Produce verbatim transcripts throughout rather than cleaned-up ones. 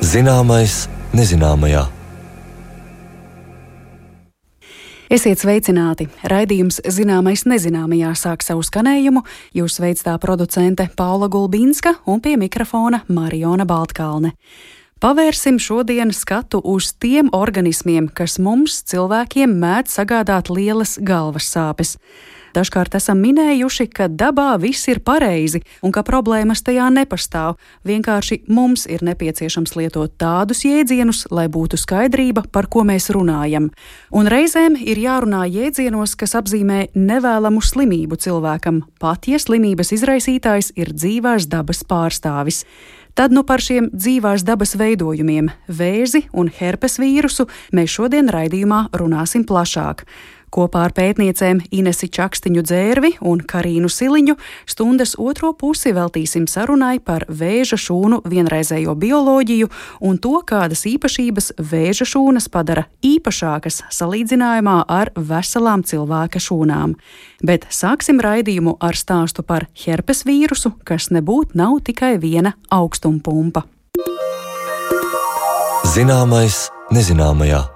Zināmais nezināmajā. Esiet sveicināti! Raidījums Zināmais nezināmajā sāk savu skanējumu. Jūs veic tā producente Paula Gulbinska un pie mikrofona Mariona Baltkalne. Pavērsim šodien skatu uz tiem organismiem, kas mums, cilvēkiem, mēdz sagādāt lielas galvas sāpes. Dažkārt esam minējuši, ka dabā viss ir pareizi un ka problēmas tajā nepastāv. Vienkārši mums ir nepieciešams lietot tādus jēdzienus, lai būtu skaidrība, par ko mēs runājam. Un reizēm ir jārunā jēdzienos, kas apzīmē nevēlamu slimību cilvēkam, pat ja slimības izraisītājs ir dzīvās dabas pārstāvis. Tad nu par šiem dzīvās dabas veidojumiem, vēzi un herpes vīrusu, mēs šodien raidījumā runāsim plašāk. Kopā ar pētniecēm Inesi Čakstiņu Dzērvi un Karīnu Siliņu stundas otro pusi veltīsim sarunai par vēža šūnu vienreizējo bioloģiju un to, kādas īpašības vēža šūnas padara īpašākas salīdzinājumā ar veselām cilvēka šūnām. Bet sāksim raidījumu ar stāstu par herpes vīrusu, kas nebūt nav tikai viena augstumpumpa. Zināmais nezināmajā.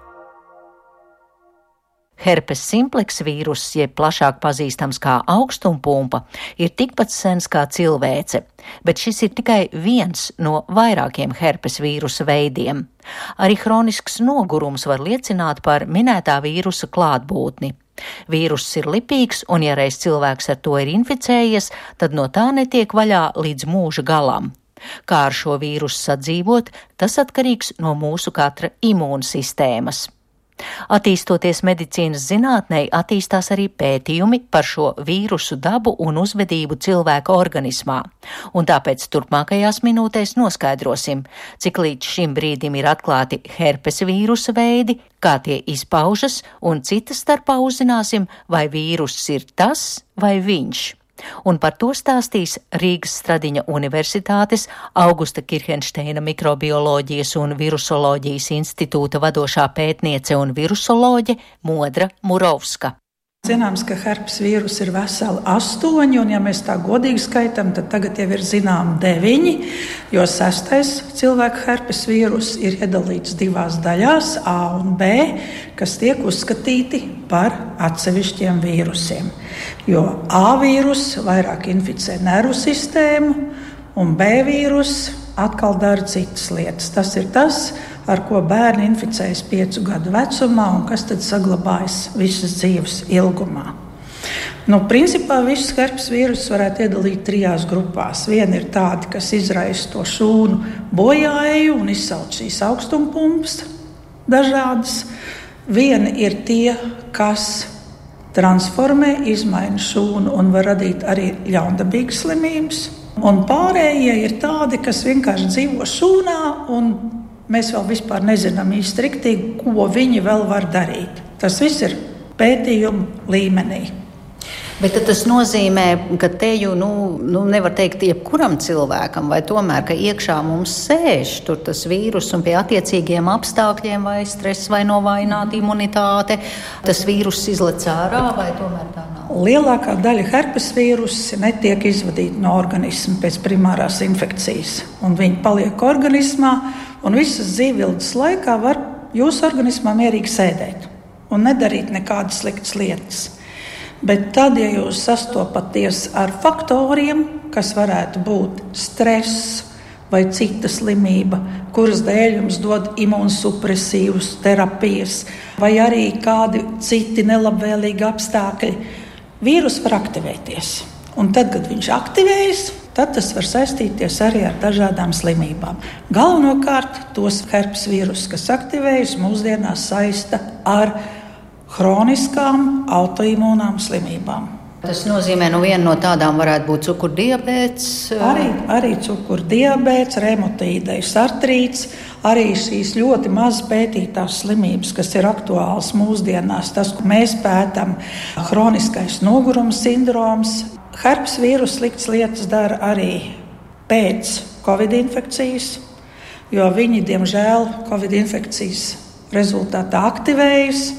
Herpes simplex vīruss, jeb plašāk pazīstams kā augstumpumpa, ir tikpat sens kā cilvēce, bet šis ir tikai viens no vairākiem herpes vīrusa veidiem. Arī hronisks nogurums var liecināt par minētā vīrusa klātbūtni. Vīruss ir lipīgs, un ja reiz cilvēks ar to ir inficējies, tad no tā netiek vaļā līdz mūža galam. Kā ar šo vīrusu sadzīvot, tas atkarīgs no mūsu katra imūnsistēmas. Attīstoties medicīnas zinātnei, attīstās arī pētījumi par šo vīrusu dabu un uzvedību cilvēka organismā. Un tāpēc turpmākajās minūtēs noskaidrosim, cik līdz šim brīdim ir atklāti herpes vīrusa veidi, kā tie izpaužas, un citas starpā uzzināsim, vai vīruss ir tas vai viņš. Un par to stāstīs Rīgas Stradiņa Universitātes Augusta Kirhenšteina mikrobioloģijas un virusoloģijas institūta vadošā pētniece un virusoloģe Modra Murovska. Zināms, ka herpes vīrus ir veseli astoņi, un ja mēs tā godīgi skaitam, tad tagad jau ir zinām deviņi, jo sestais cilvēka herpes vīrus ir iedalīts divās daļās, A un B, kas tiek uzskatīti par atsevišķiem vīrusiem. Jo A vīrus vairāk inficē nervu sistēmu, un B vīrus atkal dara citas lietas. Tas ir tas, ar ko bērni inficējas piecu gadu vecumā un kas tad saglabājas visas dzīves ilgumā. Nu, principā visus herpes vīrusus varētu iedalīt trijās grupās. Viena ir tādi, kas izraisa to šūnu bojāeju un izsauc šīs augstumpumpas dažādas. Viena ir tie, kas transformē, izmaina šūnu un var radīt arī ļaundabīgas slimības. Un pārējie ir tādi, kas vienkārši dzīvo šūnā un mēs vēl vispār nezinām īsti riktīgi, ko viņi vēl var darīt. Tas viss ir pētījumu līmenī. Bet tas nozīmē, ka te jau nu, nu nevar teikt jebkuram cilvēkam, vai tomēr, ka iekšā mums sēž tur tas vīrus un pie attiecīgiem apstākļiem vai stress vai novājināta imunitāte, tas vīrus izlec ārā vai tomēr tā nav? Lielākā daļa herpes vīrusi netiek izvadīta no organisma pēc primārās infekcijas, un viņi paliek organismā, un visas dzīvības laikā var jūsu organismā mierīgi sēdēt un nedarīt nekādas sliktas lietas. Bet tad, ja jūs sastopaties ar faktoriem, kas varētu būt stress vai cita slimība, kuras dēļ jums dod imunsupresīvas terapijas, vai arī kādi citi nelabvēlīgi apstākļi, vīrus var aktivēties. Un tad, kad viņš aktivējas, tad tas var saistīties arī ar dažādām slimībām. Galvenokārt tos herpes vīrusus, kas aktivējas, mūsdienās saista ar hroniskām autoimūnām slimībām. Tas nozīmē, nu viena no tādām varētu būt cukurdiabēts. Arī, arī cukurdiabēts, reumatoīdais artrīts, arī šīs ļoti maz pētītās slimības, kas ir aktuāls mūsdienās. Tas, ko mēs pētam, hroniskais noguruma sindroms. Herpes vīrus sliktas lietas dara arī pēc covid infekcijas, jo viņi, diemžēl, covid infekcijas rezultātā aktivējas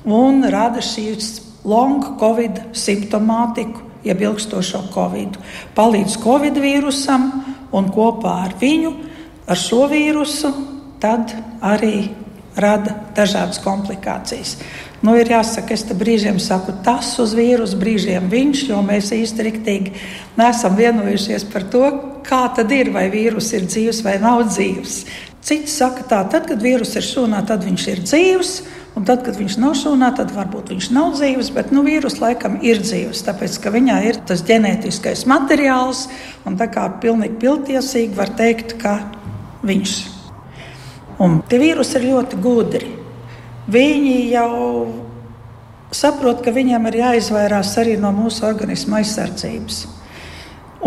un rada šīs long covid simptomātiku, jeb ilgstošo covid. Palīdz covid vīrusam un kopā ar viņu ar šo vīrusu, tad arī rada dažādas komplikācijas. Nu, ir jāsaka, es te brīžiem saku tas uz vīrusu, brīžiem viņš, jo mēs īsti riktīgi neesam vienojušies par to, kā tad ir, vai vīrus ir dzīvs vai nav dzīvs. Citi saka tā, tad, kad vīrus ir šūnā, tad viņš ir dzīvs, un tad, kad viņš nav šūnā, tad varbūt viņš nav dzīvs, bet nu, vīrus laikam ir dzīvs, tāpēc, ka viņā ir tas ģenētiskais materiāls, un tā kā pilnīgi pilntiesīgi var teikt, ka viņš. Un tie vīrusi ir ļoti gudri. Viņi jau saprot, ka viņiem ir jāizvairās arī no mūsu organisma aizsardzības.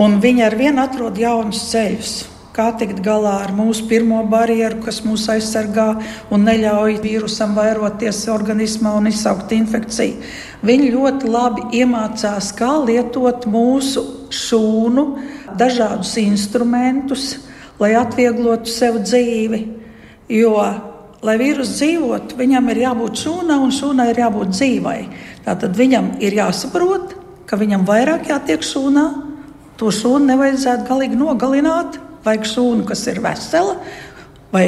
Un viņi ar vienu atrod jaunus ceļus, kā tikt galā ar mūsu pirmo barjeru, kas mūs aizsargā un neļauj vīrusam vairoties organismā un izsaukt infekciju. Viņi ļoti labi iemācās, kā lietot mūsu šūnu, dažādus instrumentus, lai atvieglotu sev dzīvi. Jo lai vīrus dzīvotu, viņam ir jābūt šūnā un šūnai ir jābūt dzīvai. Tātad viņam ir jāsaprot, ka viņam vairāk jātiek šūnā. To šūnu nevajadzētu galīgi nogalināt. Vajag šūnu, kas ir vesela vai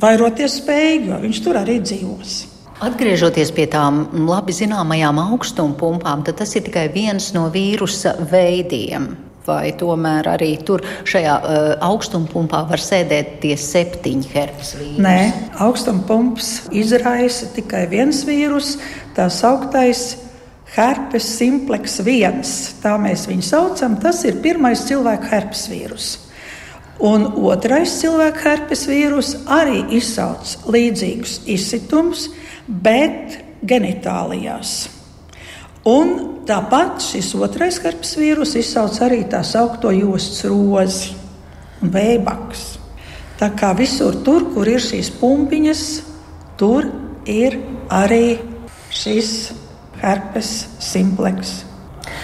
vairoties spējīga, jo viņš tur arī dzīvos. Atgriežoties pie tām labi zināmajām augstumpumpām, tad tas ir tikai viens no vīrusa veidiem. Vai tomēr arī tur šajā uh, augstumpumpā var sēdēt tie septiņi herpes vīrusi? Nē, augstumpumpes izraisa tikai viens vīrus, tā sauktais herpes simplex viens. Tā mēs viņu saucam, tas ir pirmais cilvēka herpes vīrus. Un otrais cilvēka herpes vīrus arī izsauc līdzīgus izsitumus, bet genitālijās. Un tāpat šis otrais herpes vīrus izsauc arī tā saukto jostas rozi un vējbaks. Tā kā visur tur, kur ir šīs pumpiņas, tur ir arī šis herpes simplex.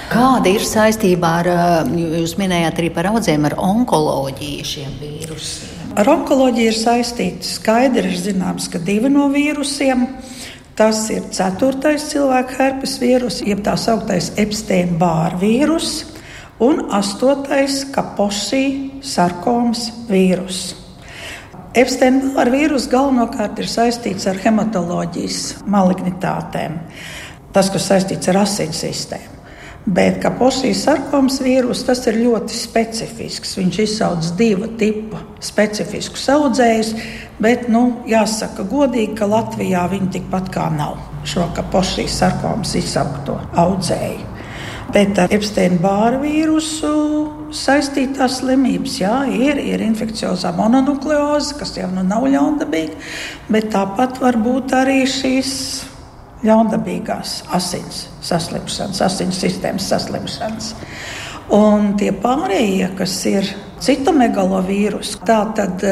Kāda ir saistībā ar, jūs minējāt arī par audzēm, ar onkoloģiju šiem vīrusiem? Ar onkoloģiju ir saistīti skaidri ir zināms, ka divi no vīrusiem. Tas ir ceturtais cilvēka herpes vīrus, jeb tā sauktais Epstein-Barr vīrus, un astotais Kaposi sarkomas vīrus. Epstein-Barr vīrus galvenokārt ir saistīts ar hematoloģijas malignitātēm, tas, kas saistīts ar asins sistēmu. Bet Kaposi sarkomas vīrus, tas ir ļoti specifisks. Viņš izsauc divu tipu specifiskus audzējus, bet, nu, jāsaka godīgi, ka Latvijā viņi tikpat kā nav šo Kaposi sarkomas izsaukto audzēju. Bet ar Epstein-Barr vīrusu saistītās slimības, jā, ir, ir infekciozā mononukleoze, kas jau nu nav ļaundabīga, bet tāpat var būt arī šīs ļaundabīgās asins saslimšanas, asins sistēmas saslimšanas. Un tie pārējie, kas ir citomegalovīrus, tā tad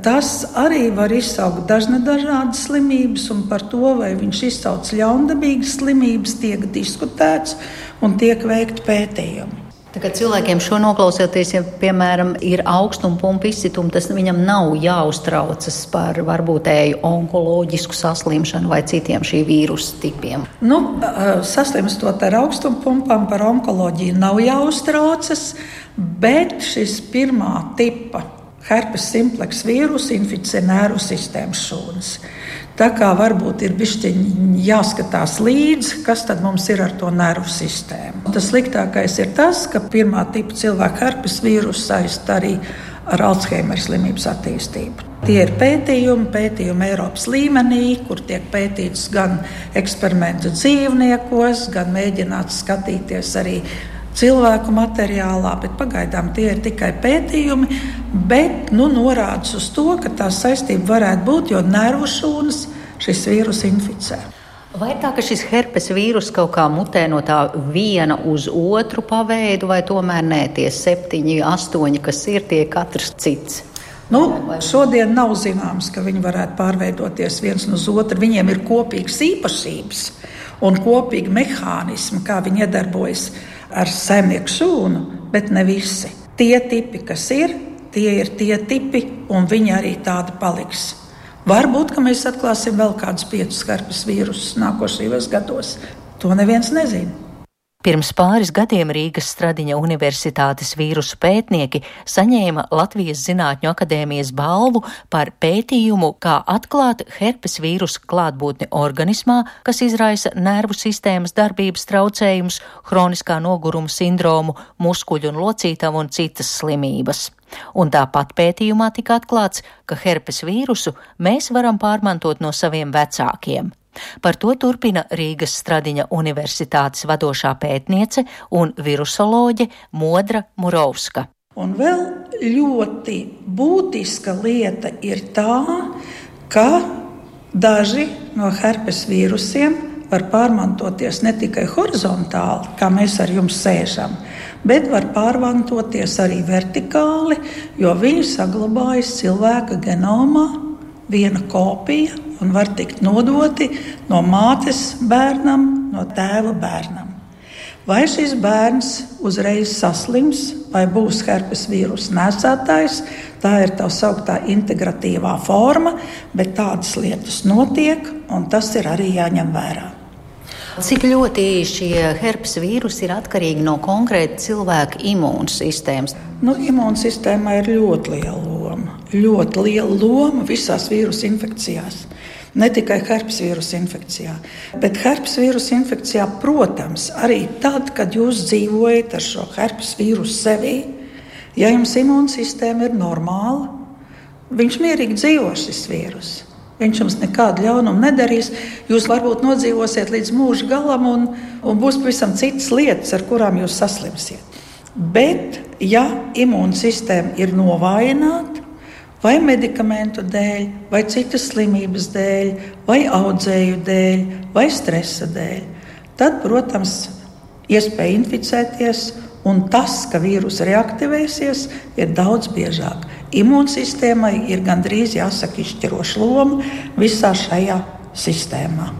tas arī var izsaukt dažādas slimības, un par to, vai viņš izsauc ļaundabīgas slimības, tiek diskutēts un tiek veikti pētījumi. Tagad cilvēkiem šo noklausoties, ja, piemēram, ir augstumpumpuma izsitumi, tas viņam nav jāuztraucas par varbūtēju onkoloģisku saslimšanu vai citiem šī vīrusu tipiem. Nu, saslimstot ar augstumpumpām par onkoloģiju nav jāuztraucas, bet šis pirmā tipa herpes simplex vīrus inficē nervu sistēmas šūnas. Tā kā varbūt ir bišķiņ jāskatās līdzi, kas tad mums ir ar to nervu sistēmu. Tas sliktākais ir tas, ka pirmā tipa cilvēka herpes vīrusu saist arī ar Alzheimera slimības attīstību. Tie ir pētījumi, pētījumi Eiropas līmenī, kur tiek pētīts gan eksperimentu dzīvniekos, gan mēģināts skatīties arī cilvēku materiālā, bet pagaidām tie ir tikai pētījumi, bet nu, norādes uz to, ka tā saistība varētu būt, jo nervu šūnas šis vīrus inficē. Vai tā, ka šis herpes vīrus kaut kā mutē no tā viena uz otru paveidu, vai tomēr nē, tie septiņi, astoņi, kas ir, tie katrs cits? Nu, šodien nav zināms, ka viņi varētu pārveidoties viens uz otru. Viņiem ir kopīgas īpašības un kopīgi mehānismi, kā viņi iedarbojas ar saimnieku šūnu, bet ne visi. Tie tipi, kas ir, tie ir tie tipi, un viņi arī tādi paliks. Varbūt, ka mēs atklāsim vēl kādus piecus herpes vīrusus nākošajos gados. To neviens nezina. Pirms pāris gadiem Rīgas Stradiņa Universitātes vīrusu pētnieki saņēma Latvijas Zinātņu akadēmijas balvu par pētījumu, kā atklāt herpes vīrusu klātbūtni organismā, kas izraisa nervu sistēmas darbības traucējumus, hroniskā noguruma sindromu, muskuļu un locītavu un citas slimības. Un tāpat pētījumā tika atklāts, ka herpes vīrusu mēs varam pārmantot no saviem vecākiem. Par to turpina Rīgas Stradiņa Universitātes vadošā pētniece un virusoloģe Modra Murovska. Un vēl ļoti būtiska lieta ir tā, ka daži no herpes vīrusiem var pārmantoties ne tikai horizontāli, kā mēs ar jums sēžam, bet var pārmantoties arī vertikāli, jo viņi saglabājas cilvēka genomā viena kopija un var tikt nodoti no mātes bērnam, no tēva bērnam. Vai šis bērns uzreiz saslims vai būs herpes vīrusa nesētājs, tā ir tā sauktā integratīvā forma, bet tādas lietas notiek, un tas ir arī jāņem vērā. Cik ļoti šie herpes vīrusi ir atkarīgi no konkrēta cilvēka imūnsistēmas? Nu, imūnsistēmā ir ļoti liela loma. Ļoti liela loma visās vīrusu infekcijās. Ne tikai herpes vīrusa infekcijā, bet herpes vīrusa infekcijā, protams, arī tad, kad jūs dzīvojat ar šo herpes vīrusu sevī, ja jums imūnsistēma ir normāla, viņš mierīgi dzīvo šis vīrus. Viņš jums nekādu ļaunumu nedarīs. Jūs varbūt nodzīvosiet līdz mūža galam un, un būs pavisam citas lietas, ar kurām jūs saslimsiet. Bet, ja imūnsistēma ir novājināta, vai medikamentu dēļ, vai citas slimības dēļ, vai audzēju dēļ, vai stresa dēļ, tad, protams, iespēja inficēties, un tas, ka vīrus reaktivēsies, ir daudz biežāk. Imūnsistēmai ir gandrīz jāsaka izšķiroša loma visā šajā sistēmā.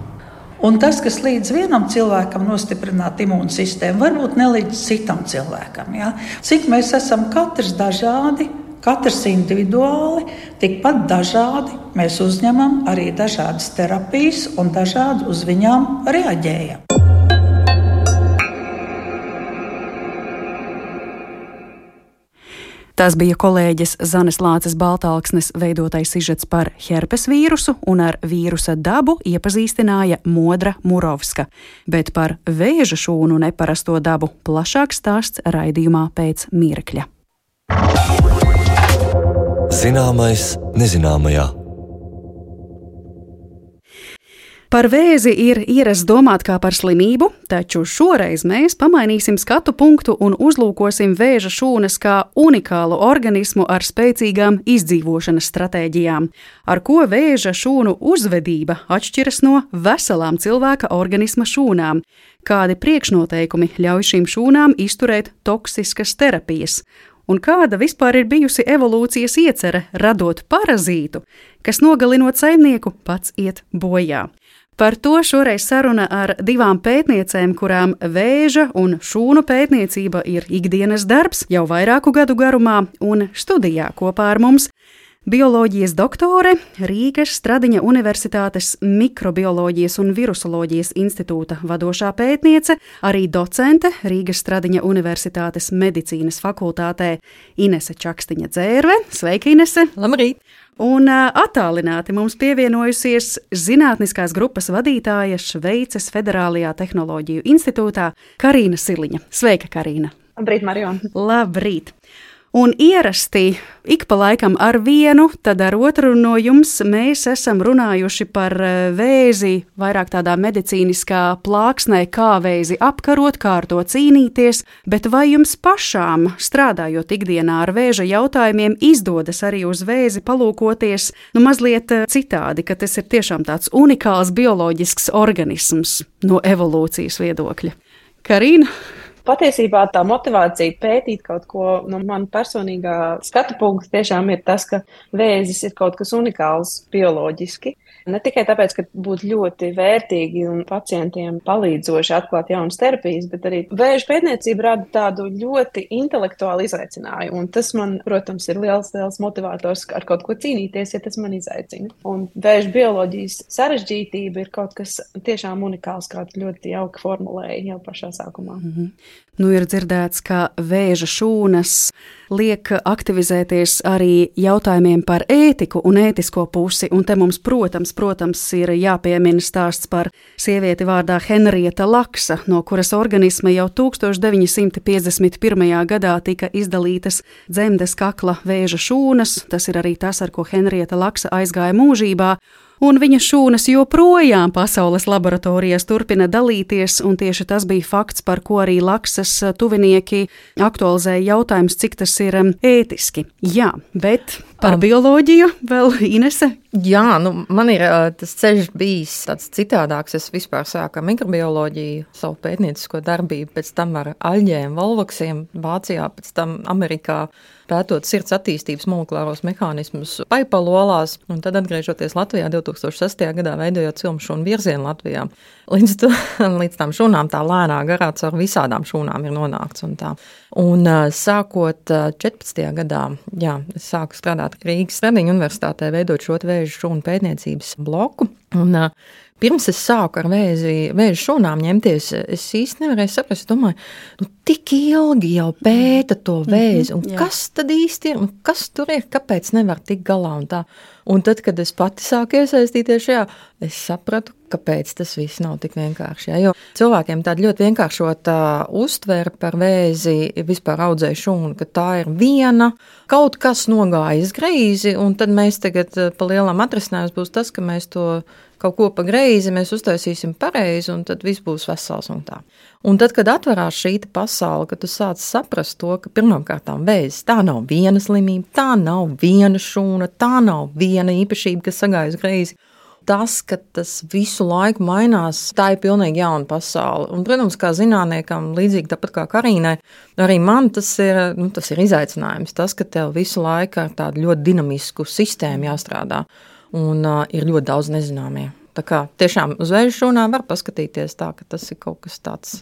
Un tas, kas līdz vienam cilvēkam nostiprināt imūnsistēmu, varbūt nelīdz citam cilvēkam. Ja? Cik mēs esam katrs dažādi, katrs individuāli, tikpat dažādi mēs uzņemam arī dažādas terapijas un dažādi uz viņām reaģējam. Tas bija kolēģes Zanes Lāces Baltalksnes veidotais sižets par herpes vīrusu, un ar vīrusa dabu iepazīstināja Modra Murovska. Bet par vēža šūnu neparasto dabu plašāks stāsts raidījumā pēc mirkļa. Zināmais nezināmajā. Par vēzi ir ierasts domāt kā par slimību, taču šoreiz mēs pamainīsim skatu punktu un uzlūkosim vēža šūnas kā unikālu organismu ar spēcīgām izdzīvošanas stratēģijām, ar ko vēža šūnu uzvedība atšķiras no veselām cilvēka organisma šūnām, kādi priekšnoteikumi ļauj šīm šūnām izturēt toksiskas terapijas, un kāda vispār ir bijusi evolūcijas iecere radot parazītu, kas nogalinot saimnieku pats iet bojā. Par to šoreiz saruna ar divām pētniecēm, kurām vēža un šūnu pētniecība ir ikdienas darbs jau vairāku gadu garumā, un studijā kopā ar mums bioloģijas doktore, Rīgas Stradiņa Universitātes mikrobioloģijas un virusoloģijas institūta vadošā pētniece, arī docente Rīgas Stradiņa Universitātes medicīnas fakultātē Inese Čakstiņa-Dzērve. Sveika, Inese! Labrīt! Un attālināti mums pievienojusies zinātniskās grupas vadītāja Šveices Federālajā tehnoloģiju institūtā Karīna Siliņa. Sveika, Karīna! Labrīt, Mariona! Labrīt! Un ierasti ik pa laikam ar vienu, tad ar otru no jums mēs esam runājuši par vēzi vairāk tādā medicīniskā plāksnē, kā vēzi apkarot, kā ar to cīnīties, bet vai jums pašām, strādājot ikdienā ar vēža jautājumiem, izdodas arī uz vēzi palūkoties, nu mazliet citādi, ka tas ir tiešām tāds unikāls bioloģisks organisms no evolūcijas viedokļa? Karīna? Patiesībā tā motivācija pētīt kaut ko, no man personīgā skatu punkta tiešām ir tas, ka vēzis ir kaut kas unikāls bioloģiski. Ne tikai tāpēc, ka būtu ļoti vērtīgi un pacientiem palīdzoši atklāt jaunas terapijas, bet arī vēža pētniecība rada tādu ļoti intelektuālu izaicinājumu. Un tas man, protams, ir liels, liels motivators ar kaut ko cīnīties, ja tas man izaicina. Un vēža bioloģijas sarežģītība ir kaut kas tiešām unikāls, kā ļoti jauki formulēja jau pašā sākumā. Mm-hmm. Nu, ir dzirdēts, ka vēža šūnas liek aktivizēties arī jautājumiem par ētiku un ētisko pusi, un te mums, protams, protams, ir jāpiemina stāsts par sievieti vārdā Henrieta Laksa, no kuras organisma jau tūkstoš deviņi simti piecdesmit pirmajā gadā tika izdalītas dzemdes kakla vēža šūnas. Tas ir arī tas, ar ko Henrieta Laksa aizgāja mūžībā. Un viņa šūnas joprojām pasaules laboratorijās turpina dalīties, un tieši tas bija fakts, par ko arī Laksas tuvinieki aktualizēja jautājums, cik tas ir ētiski. Jā, bet par um, bioloģiju vēl Inese? Jā, nu man ir tas ceļš bijis tāds citādāks. Es vispār sāku ar mikrobioloģiju, savu pētniecisko darbību, pēc tam ar aļģiem, volvoksiem Vācijā, pēc tam Amerikā, pētot sirds attīstības molekulāros mehānismus paipalolās, un tad atgriežoties Latvijā divtūkstoš sestajā gadā veidojot cilmu šūnu virzienu Latvijā. Līdz, to, līdz tām šūnām tā lēnā garā caur visādām šūnām ir nonākts un tā. Un sākot četrpadsmitajā gadā, jā, es sāku strādāt Rīgas Stradiņu universitātē, veidot šo vēža šūnu pētniecības bloku. Un pirms es sāku ar vēzi, vēža šūnām ņemties, es īsti nevarēju saprast, es domāju, nu tik ilgi jau pēta to vēzi, un mm-hmm, kas tad īsti ir, un kas tur ir, kāpēc nevar tik galā un tā. Un tad, kad es pati sāku iesaistīties šajā, es sapratu, kāpēc tas viss nav tik vienkārši. Ja? Jo cilvēkiem tāda ļoti vienkāršota uztvere par vēzi, vispār audzēju šūnu, ka tā ir viena, kaut kas nogājis greizi, un tad mēs tagad pa lielam atrisinājums būs tas, ka mēs to kaut ko pa greizi, mēs uztaisīsim pareizi, un tad viss būs vesels un tā. Un tad, kad atverās šī pasaule, kad tu sāc saprast to, ka pirmkārtām vēzis, tā nav viena slimība, tā nav viena šūna, tā nav viena īpašība, kas sagājas greizi. Tas, ka tas visu laiku mainās, tā ir pilnīgi jauna pasaule. Un, protams, kā zinātniekam, līdzīgi tāpat kā Karīnai, arī man tas ir, nu, tas ir izaicinājums. Tas, ka tev visu laiku ar tādu ļoti dinamisku sistēmu jāstrādā un uh, ir ļoti daudz nezināmie. Tā kā tiešām uz vēža šūnām var paskatīties tā, ka tas ir kaut kas tāds,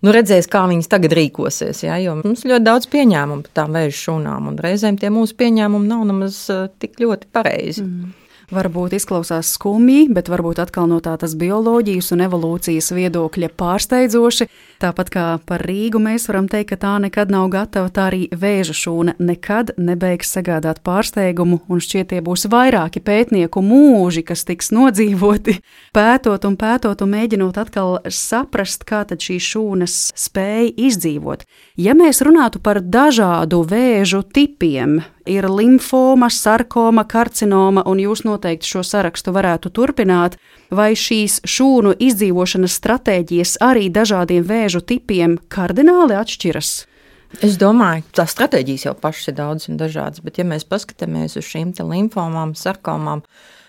nu redzēs, kā viņas tagad rīkosies, ja, jo mums ļoti daudz pieņēmumu par tām vēža šūnām, un reizēm tie mūsu pieņēmumi nav nemaz uh, tik ļoti pareizi. Mm. Varbūt izklausās skumji, bet varbūt atkal no tādas bioloģijas un evolūcijas viedokļa pārsteidzoši. Tāpat kā par Rīgu mēs varam teikt, ka tā nekad nav gatava, tā arī vēža šūna nekad nebeigs sagādāt pārsteigumu, un šķiet tie būs vairāki pētnieku mūži, kas tiks nodzīvoti, pētot un pētot un mēģinot atkal saprast, kā tad šīs šūnas spēja izdzīvot. Ja mēs runātu par dažādu vēžu tipiem, ir limfoma, sarkoma, karcinoma, un jūs noteikti šo sarakstu varētu turpināt, vai šīs šūnu izdzīvošanas stratēģijas arī dažādiem vēžu tipiem kardināli atšķiras? Es domāju, tās stratēģijas jau pašas ir daudz un dažādas, bet ja mēs paskatāmies uz šīm te limfomām, sarkomām,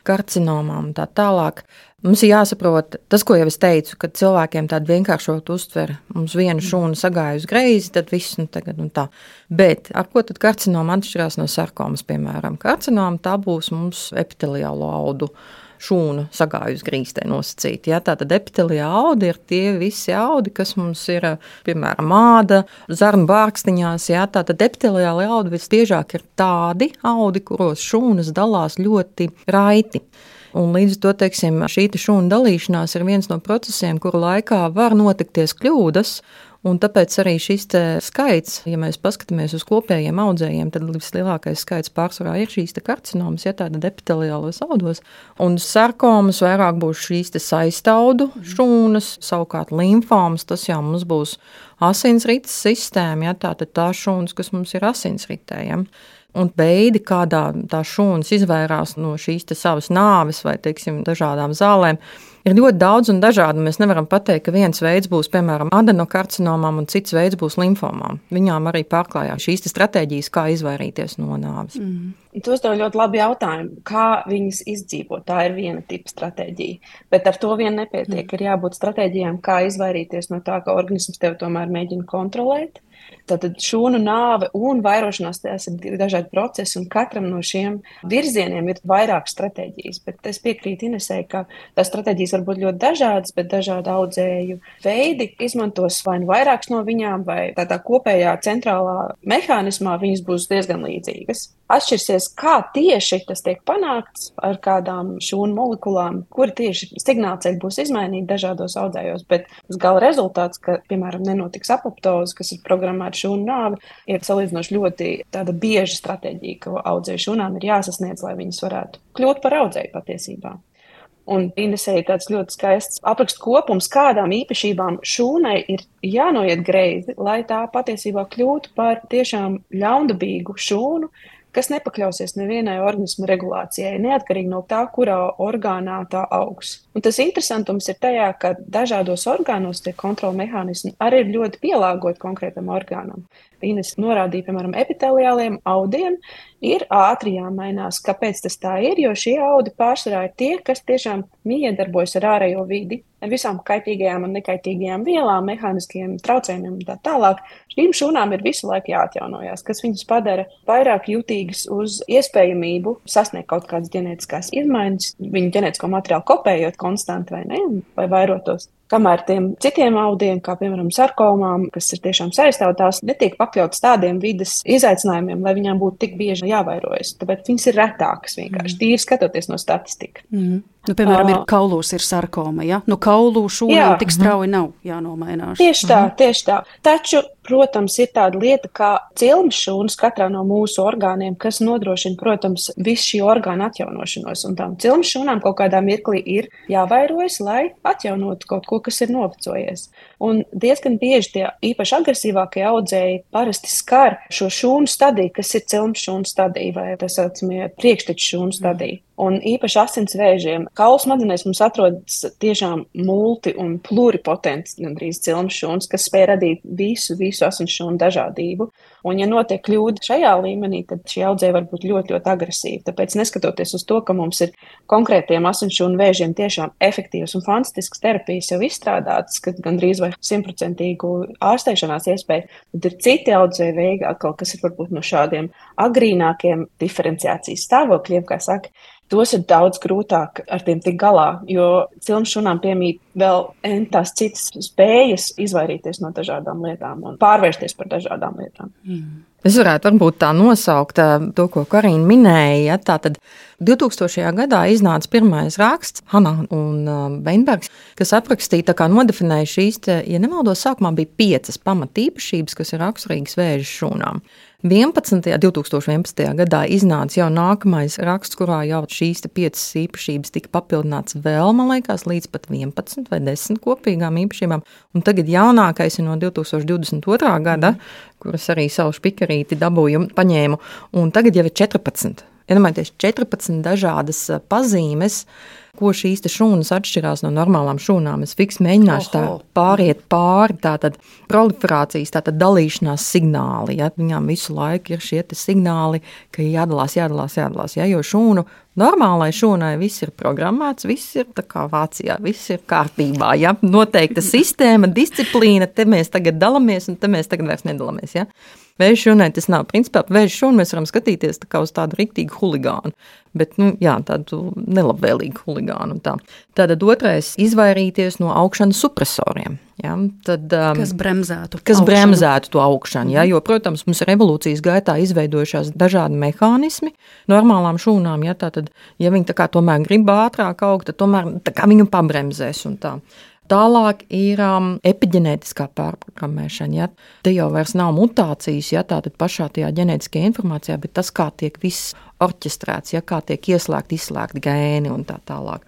karcinomām un tā tālāk, mums ir jāsaprot, tas, ko jau es teicu, kad cilvēkiem tādu vienkāršot uztver, mums viena šūna sagāja uz greizi, tad viss, nu tagad un tā. Bet ar ko tad karcinoma atšķirās no sarkomas, piemēram? Karcinoma tā būs mums epiteliālo audu šūnu sagāju uz grīstē nosacīt. Ja? Tātad epiteliāli audi ir tie visi audi, kas mums ir, piemēram, āda, zarnu bārkstiņās. Ja? Tātad epiteliāli audi visbiežāk ir tādi audi, kuros šūnas dalās ļoti raiti. Un līdz to, teiksim, šī šūna dalīšanās ir viens no procesiem, kuru laikā var notikties kļūdas, un tāpēc arī šis te skaits, ja mēs paskatāmies uz kopējiem audzējiem, tad vislielākais skaits pārsvarā ir šīs te karcinomas, ja tātad epiteliālos audos, un sarkomas vairāk būs šīs te saistaudu šūnas, savukārt limfomas, tas jau mums būs asinsrites sistēma, ja tātad tā šūnas, kas mums ir asinsritē, ja. Un veidi, kādā tā šūnas izvairās no šīs te savas nāves vai, teiksim, dažādām zālēm, ir ļoti daudz un dažādi. Mēs nevaram pateikt, ka viens veids būs, piemēram, adenokarcinomām un cits veids būs limfomām. Viņām arī pārklājās šīs stratēģijas, kā izvairīties no nāves. Mm. Tu uzdev ļoti labi jautājumu, kā viņas izdzīvot. Tā ir viena tipa stratēģija, bet ar to vien nepietiek. Mm. Ir jābūt stratēģijām, kā izvairīties no tā, ka organisms tev tomēr mēģina kontrolēt. Tātad šūnu nāve un vairošanās, tās ir dažādi procesi, un katram no šiem virzieniem ir vairāk stratēģijas. Bet es piekrītu Inesei, ka tās stratēģijas var būt ļoti dažādas, bet dažādi audzēju veidi izmantos vai nu vairākas no viņām, vai tādā kopējā centrālā mehānismā viņas būs diezgan līdzīgas. Atšķirsies, kā tieši tas tiek panākts ar kādām šūnu molekulām, kuri tieši signālceļi būs izmainīti dažādos audzējos, bet tas gala rezultāts, ka, piemēram, nenotiks apoptoze, kas ir programmēta šūnu nāve, ir salīdzinoši ļoti tāda bieža stratēģija, ka audzēju šūnām ir jāsasniedz, lai viņas varētu kļūt par audzēju patiesībā. Un Inesei ir tāds ļoti skaists aprakstu kopums, kādām īpašībām šūnai ir jānoiet greizi, lai tā patiesībā kļūtu par tiešām ļaundabīgu šūnu, kas nepakļausies nevienai organisma regulācijai, neatkarīgi no tā, kurā orgānā tā augs. Un tas interesantums ir tajā, ka dažādos orgānos tie kontrola mehānismi arī ir ļoti pielāgoti konkrētam orgānam. Ines norādīja, piemēram, epiteliāliem audiem ir ātri jāmainās. Kāpēc tas tā ir? Jo šie audi pārsvarā ir tie, kas tiešām miedarbojas ar ārējo vidi, ar visām kaitīgajām un nekaitīgajām vielām, mehāniskiem traucējumiem un tā tālāk. Šīm šūnām ir visu laiku jāatjaunojās, kas viņas padara vairāk jutīgas uz iespējamību sasniegt kaut kādas ģenētiskās izmaiņas, viņu ģenētisko materiālu kopējot konstanti vai ne, vai vairotos. Kamēr tiem citiem audiem, kā piemēram sarkomām, kas ir tiešām saistāvotās, netiek pakļautas tādiem vides izaicinājumiem, lai viņām būtu tik bieži jāvairojas. Tāpēc viņas ir retākas vienkārši, mm. tīri skatoties no statistika. Mm. Nu, piemēram, ir kaulūs ir sarkoma, ja? Nu, kaulū šūnām tik strauji nav jānomainās. Tieši tā, tieši tā. Taču, protams, ir tāda lieta kā cilmes šūnas katrā no mūsu orgāniem, kas nodrošina, protams, visu šī orgāna atjaunošanos. Un tām cilmes šūnām kaut kādā mirklī ir jāvairojas, lai atjaunotu kaut ko, kas ir novecojies. Un diezgan bieži tie īpaši agresīvākie audzēji parasti skar šo šūnu stadiju, kas ir cilmes šūnu stadija vai tā saucamie priekšteču šūnu stadija. Un īpaši asins vēžiem. Kaulu smadzenēs mums atrodas tiešām multi un pluripotents gandrīz cilmes šūnas, kas spēj radīt visu, visu asins šūnu dažādību. Un ja notiek kļūda šajā līmenī, tad šie audzēji var būt ļoti, ļoti agresīvi. Tāpēc neskatoties uz to, ka mums ir konkrētiem asins šūnu vēžiem tiešām efektīvas un fantastiskas terapijas jau izstrādātas, kad gandrīz vai simtprocentīgu ārstēšanās iespēju, tad ir citi audzēji veidi atkal, kas ir varbūt no šādiem agrīnākiem diferenciācijas stāvokļiem, kā saka. Tos ir daudz grūtāk ar tiem tik galā, jo cilmes šūnām piemīt vēl tās citas spējas izvairīties no dažādām lietām un pārvērsties par dažādām lietām. Mm. Es varētu varbūt tā nosaukt to, ko Karina minēja. Tātad divtūkstošajā gadā iznāca pirmais raksts, Hanna un Beinbergs, kas aprakstīja, tā kā nodefinēja šīs, te, ja nemaldos, sākumā bija piecas pamatīpašības, kas ir raksturīgas vēža šūnām. vienpadsmitajā divtūkstoš vienpadsmitajā gadā iznāca jau nākamais raksts, kurā jau šīs te piecas īpašības tika papildināts vēl, man liekas, līdz pat vienpadsmit vai desmit kopīgām īpašībām. Un tagad jaunākais ir no divtūkstoš divdesmit otrā gada, kuras arī savu špikarīti dabūju, paņēmu, un tagad jau ir četrpadsmit. Iedomājieties, četrpadsmit dažādas pazīmes, ko šīs te šūnas atšķirās no normālām šūnām. Es fiks mēģināšu tā pāriet pāri, tātad proliferācijas, tātad dalīšanās signāli. Ja? Viņām visu laiku ir šie te signāli, ka jādalās, jādalās, jādalās. Ja? Jo šūnu, normālai šūnai viss ir programmēts, viss ir tā kā Vācijā, viss ir kārtībā. Ja? Noteikta sistēma, disciplīna, te mēs tagad dalamies un te mēs tagad vairs nedalamies. Ja? Vēža šūnai tas nav. Principā vēža šūnu mēs varam skatīties tā kā uz tādu riktīgu huligānu, bet, nu, jā, tādu nelabvēlīgu huligānu. Tā. Tātad otrais – izvairīties no augšanas supresoriem. Ja? Tad, um, kas bremzētu kas bremzētu to augšanu. Ja? Jo, protams, mums ir evolūcijas gaitā izveidojušās dažādi mehānismi normālām šūnām. Ja? Tātad, ja viņi tā kā tomēr grib ātrāk augt, tad tomēr tā kā viņu pabremzēs un tā. Tālāk ir um, epiģenētiskā pārprogrammēšana. Ja? Te jau vairs nav mutācijas, ja? Tātad pašā tajā ģenētiskajā informācijā, bet tas, kā tiek viss orķestrēts, ja? Kā tiek ieslēgt, izslēgt gēni un tā tālāk.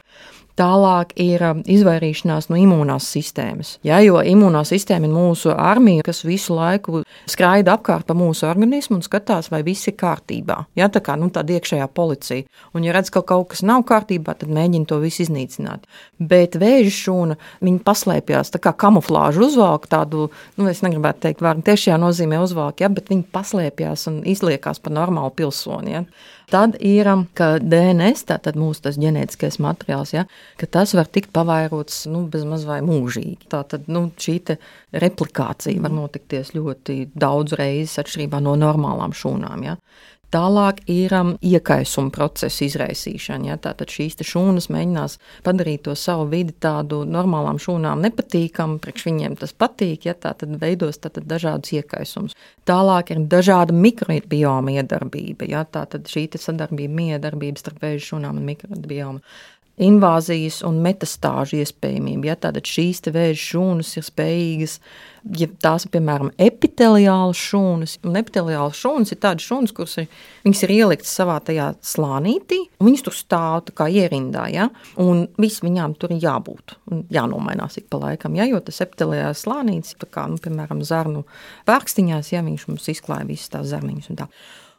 Tālāk ir izvairīšanās no imūnās sistēmas. Ja, jo imūnā sistēma ir mūsu armija, kas visu laiku skraida apkārt pa mūsu organismu un skatās, vai viss ir kārtībā. Ja, tā kā nu, tāda iekšējā policija. Un, ja redz, ka kaut kas nav kārtībā, tad mēģina to visu iznīcināt. Bet vēža šūna, viņa paslēpjās, tā kā kamuflāžu uzvalk tādu, nu, es negribētu teikt vārdu, tiešajā nozīmē uzvalk, ja, bet viņa paslēpjās un izliekās par normālu pilsoni. Ja. Tad ir, ka D N S, tātad mūsu tas ģenētiskais materiāls, ja, ka tas var tikt pavairots nu, bezmaz vai mūžīgi. Tātad nu, šī te replikācija var notikties ļoti daudz reizes atšķirībā no normālām šūnām. Ja. Tālāk ir um, iekaisuma procesa izraisīšana. Ja? Tātad šīs šūnas mēģinās padarīt to savu vidi tādu normālām šūnām nepatīkamu, priekš viņiem tas patīk, ja? Tātad veidos tātad dažādus iekaisumus. Tālāk ir dažāda mikrobioma iedarbība. Ja? Tātad šī sadarbība, miedarbība starp vēža šūnām un mikrobioma. Invāzijas un metastāžu iespējamība. Ja? Tātad šīs te vēža šūnas ir spējīgas, ja tās ir, piemēram, epiteliālas šūnas, un epiteliālas šūnas ir tādas šūnas, kuras ir, viņas ir ieliktas savā tajā slānītī, un viņas tur stāv tā kā ierindā, ja? Un viss viņām tur ir jābūt, un jānomainās ik pa laikam, ja? Jo tas epiteliālais slānītis, tā kā, nu, piemēram, zarnu pērkstiņās, ja viņš mums izklāja visas tās zarniņas un tā.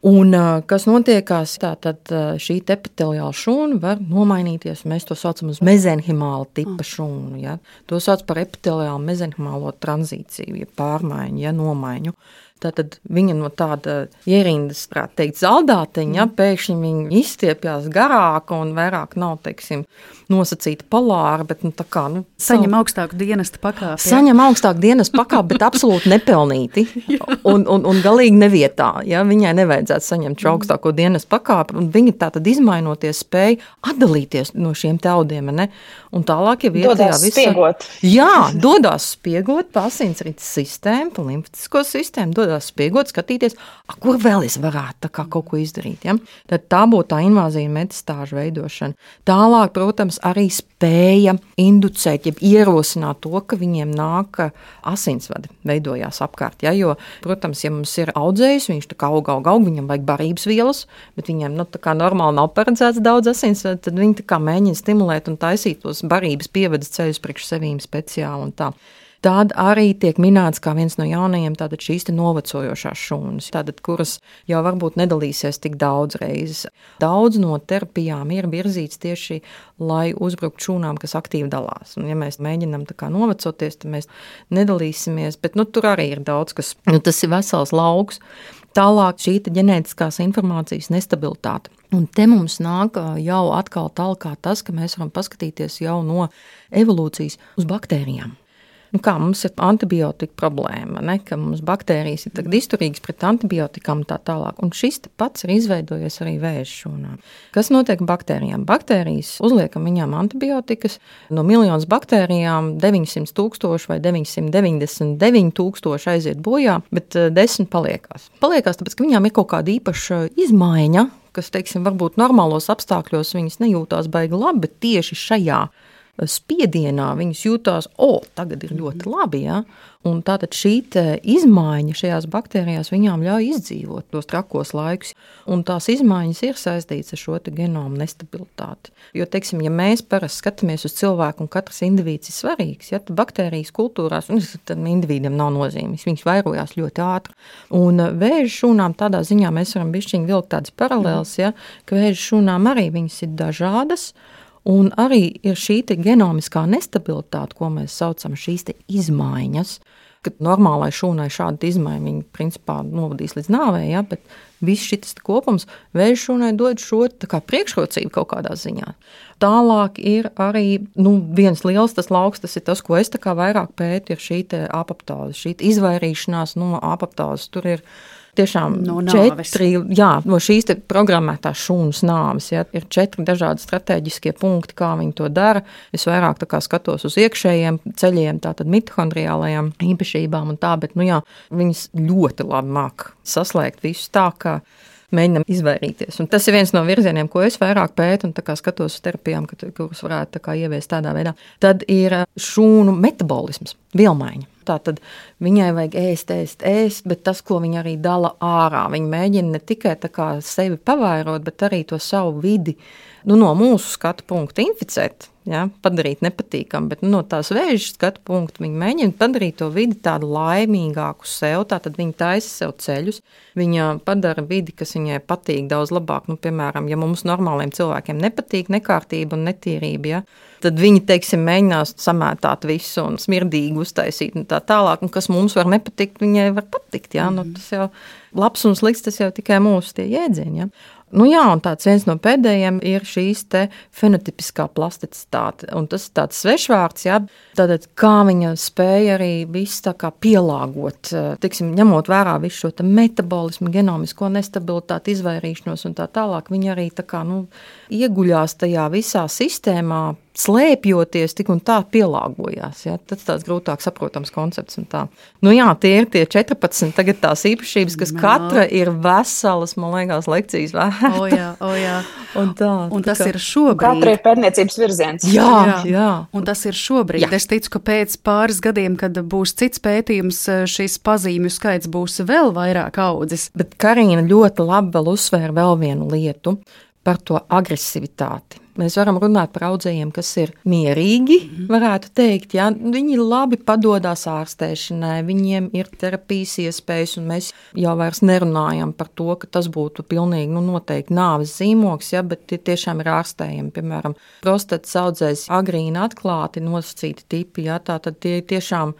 Un kas notiekās, tātad šī epiteliāla šūna var nomainīties, mēs to saucam uz mezenhimāla tipa šūnu, ja? To sauc par epiteliālu mezenhimālo tranzīciju, ja pārmaiņu, ja nomaiņu. Tātad viņa no tāda ierindas, prāt teikt, zaldāteņa, ja, pēkšņi viņa izstiepjās garāka un vairāk nav, teiksim, nosacīta polāra, bet nu tā kā, nu... Saņem savu... augstāku dienesta pakāpi. Ja? Saņem augstāku dienesta pakāpi, bet absolūti nepelnīti un, un, un galīgi nevietā, ja, viņai nevajadzētu saņemt šo augstāko dienesta pakāpi, un viņa tātad izmainoties spēja atdalīties no šiem te audiem, ne? Un tālāk jau iet dodās visa... spiegot. Jā, dodās spiegot pa asinsrites sistēmu, pa limfatisko sistēmu, dodās spiegot, skatīties, a, kur vēl es varētu tā kā kaut ko izdarīt. Ja? Tad tā būtu tā invāzija un metastāžu veidošana. Tālāk, protams, arī spēja inducēt, jeb ierosināt to, ka viņiem nāk asinsvadi veidojās apkārt. Ja? Jo, protams, ja mums ir audzējs, viņš tā kā aug, aug, aug, viņam vajag barības vielas, bet viņiem nu, tā kā normāli nav paredzēts daudz asinsvadi, tad viņi tā kā mēģina stimulēt un taisīt tos barības pievedas ceļus priekš sevīm speciāli un tā. Tāda arī tiek minēts kā viens no jaunajiem tātad šīs te novecojošās šūnas, tātad, kuras jau varbūt nedalīsies tik daudz reizes. Daudz no terapijām ir virzīts tieši, lai uzbrukt šūnām, kas aktīvi dalās. Un ja mēs mēģinām tā kā novecoties, tad mēs nedalīsimies, bet nu, tur arī ir daudz, kas, nu, tas ir vesels lauks. Tālāk šī ģenētiskās informācijas nestabilitāte. Un te mums nāk jau atkal talkā tas, ka mēs varam paskatīties jau no evolūcijas uz baktērijām. Nu kā mums ir antibiotika problēma, ne? Ka mums baktērijas ir tagad izturīgas pret antibiotikām tā tālāk. Un šis pats ir izveidojies arī vēža šūnām. Kas notiek baktērijām? Baktērijas uzliekam viņām antibiotikas. No miljonas baktērijām deviņsimt tūkstoši vai deviņsimt deviņdesmit deviņi tūkstoši aiziet bojā, bet desmit paliekās. Paliekās tāpēc, ka viņām ir kaut kāda īpaša izmaiņa, kas, teiksim, varbūt normālos apstākļos viņas nejūtās baigi labi, bet tieši šajā spiedienā viņas jūtās, o, tagad ir ļoti labi, ja? Un tātad šī izmaiņa šajās baktērijās viņām ļauj izdzīvot tos trakos laikus, un tās izmaiņas ir saistītas ar šo te genomu nestabilitāti. Jo, teiksim, ja mēs parasti skatāmies uz cilvēku un katrs indivīds ir svarīgs, ja, tad baktērijas kultūrās, un tad individam nav nozīmes, viņas vairojās ļoti ātri. Un vēža šūnām tādā ziņā mēs varam bišķiņ vilkt tādas paralēles, ja, ka vēža šūnām arī viņas ir dažādas, un arī ir šī te genomiskā nestabilitāte, ko mēs saucam šīs te izmaiņas, kad normālai šūnai šāda izmaiņa viņa principā novadīs līdz nāvē, ja, bet viss šis kopums vēža šūnai dod šo tā kā priekšrocību kaut kādā ziņā. Tālāk ir arī, nu, viens liels tas lauks, tas ir tas, ko es tā kā vairāk pētu, ir šī te apoptāze, šī te izvairīšanās no apoptāzes. Tur ir tiešām no četri, jā, no šīs te programmētās šūnas nāves, ja, ir četri dažādi strateģiskie punkti, kā viņi to dara. Es vairāk tā kā skatos uz iekšējiem ceļiem, tātad mitohondriālajām īpašībām un tā, bet, nu jā, viņas ļoti labi māk saslēgt visu tā, ka mēģinam izvairīties. Un tas ir viens no virzieniem, ko es vairāk pētu un tā kā skatos uz terapijām, kuras varētu tā kā ieviest tādā veidā. Tad ir šūnu metabolisms, vielmaiņa. Tātad viņai vajag ēst, ēst, ēst, bet tas, ko viņa arī dala ārā, viņa mēģina ne tikai tā kā sevi pavairot, bet arī to savu vidi, nu, no mūsu skatu punkta inficēt. ja, padarīt nepatīkam, bet no tās vēža skatu punktu viņi mēģina padarīt to vidi tādu laimīgāku sev, tātad viņi taisa sev ceļus, viņa padara vidi, kas viņai patīk daudz labāk, nu, piemēram, ja mums normāliem cilvēkiem nepatīk nekārtība un netīrība, ja, tad viņi, teiksim, mēģinās samētāt visu un smirdīgi uztaisīt un tā tālāk, un kas mums var nepatikt, viņai var patikt, ja, nu, tas jau labs un slikts, tas jau tikai mūsu tie jēdzieni, ja. Nu jā, un tāds viens no pēdējiem ir šīs te fenotipiskā plasticitāte, un tas ir tāds svešvārds, jā, tātad kā viņa spēja arī visu tā kā pielāgot, tiksim, ņemot vērā visu šo te metabolismu, genomisko nestabilitāti, izvairīšanos un tā tālāk, viņa arī tā kā, nu, ieguļās tajā visā sistēmā, slēpjoties, tik un tā pielāgojās. Ja? Tas tāds grūtāk saprotams koncepts un tā. Nu jā, tie ir tie četrpadsmit tagad tās īpašības, kas katra ir veselas, man liekas, lekcijas vērta. O jā, o jā. Un, tā, un tas tā kā... ir šobrīd. Katra ir pērniecības virziens. Jā, jā, jā. Un tas ir šobrīd. Jā. Es ticu, ka pēc pāris gadiem, kad būs cits pētījums, šis pazīmju skaits būs vēl vairāk audzis. Bet Karīna ļoti labi vēl uzsvēra vēl vienu lietu par to agresivitāti. Mēs varam runāt par audzējiem, kas ir mierīgi, varētu teikt, ja? Viņi labi padodās ārstēšanai, viņiem ir terapijas iespējas, un mēs jau vairs nerunājam par to, ka tas būtu pilnīgi, nu, noteikti nāves zīmogs, ja? Bet tie tiešām ir ārstējami, piemēram, prostatas audzējs agrīni atklāti nosacīti tipi, ja? Tātad tie tiešām,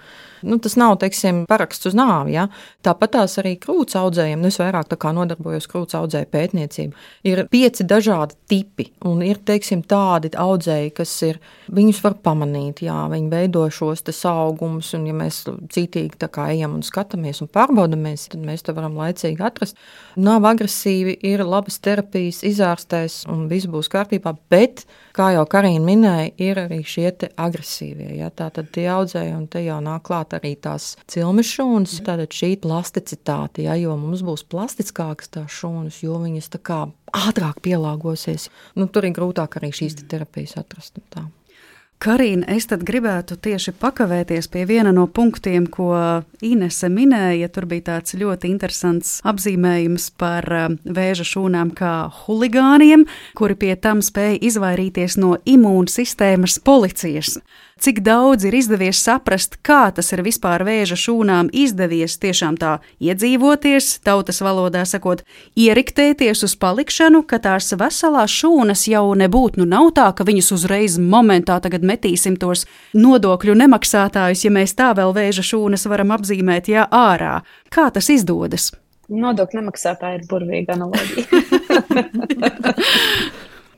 nu, tas nav, teiksim, paraksts uz nāvi, ja? Tāpat tās arī krūts audzējiem, nu, es vairāk tā kā nodarbojos krūts audzēju pētniecību, ir pieci dažādi tipi, un ir, teiksim, tādi audzēji, kas ir, viņus var pamanīt, jā, viņi veido šos te saugumus, un ja mēs cītīgi tā kā ejam un skatāmies un pārbaudamies, tad mēs to varam laicīgi atrast. Nav agresīvi, ir labas terapijas, izārstēs, un viss būs kārtībā, bet, kā jau Karīna minēja, ir arī šie te agresīvie, ja, tātad tie audzēji, un te jau nāk klāt arī tās cilmes šūnas, tātad šī plasticitāte, ja, jo mums būs plastiskākas tās šūnas, jo viņas tā kā ātrāk pielāgosies. Nu, tur ir grūtāk arī šīs terapijas atrast. Tā. Karīna, es tad gribētu tieši pakavēties pie viena no punktiem, ko Inese minēja. Tur bija tāds ļoti interesants apzīmējums par vēža šūnām kā huligāniem, kuri pie tam spēja izvairīties no imūnsistēmas policijas. Cik daudz ir izdevies saprast, kā tas ir vispār vēža šūnām izdevies tiešām tā iedzīvoties, tautas valodā sakot, ieriktēties uz palikšanu, ka tās veselās šūnas jau nebūtu, nu nav tā, ka viņus uzreiz momentā tagad metīsim tos nodokļu nemaksātājus, ja mēs tā vēl vēža šūnas varam apzīmēt, jā, ārā. Kā tas izdodas? Nodokļu nemaksātāji ir burvīga analoģija.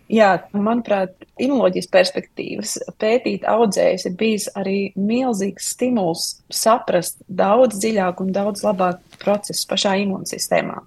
Jā, manuprāt, imunoloģijas perspektīvas pētīt audzējus ir bijis arī milzīgs stimuls saprast daudz dziļāk un daudz labāk procesus pašā imūnsistēmā.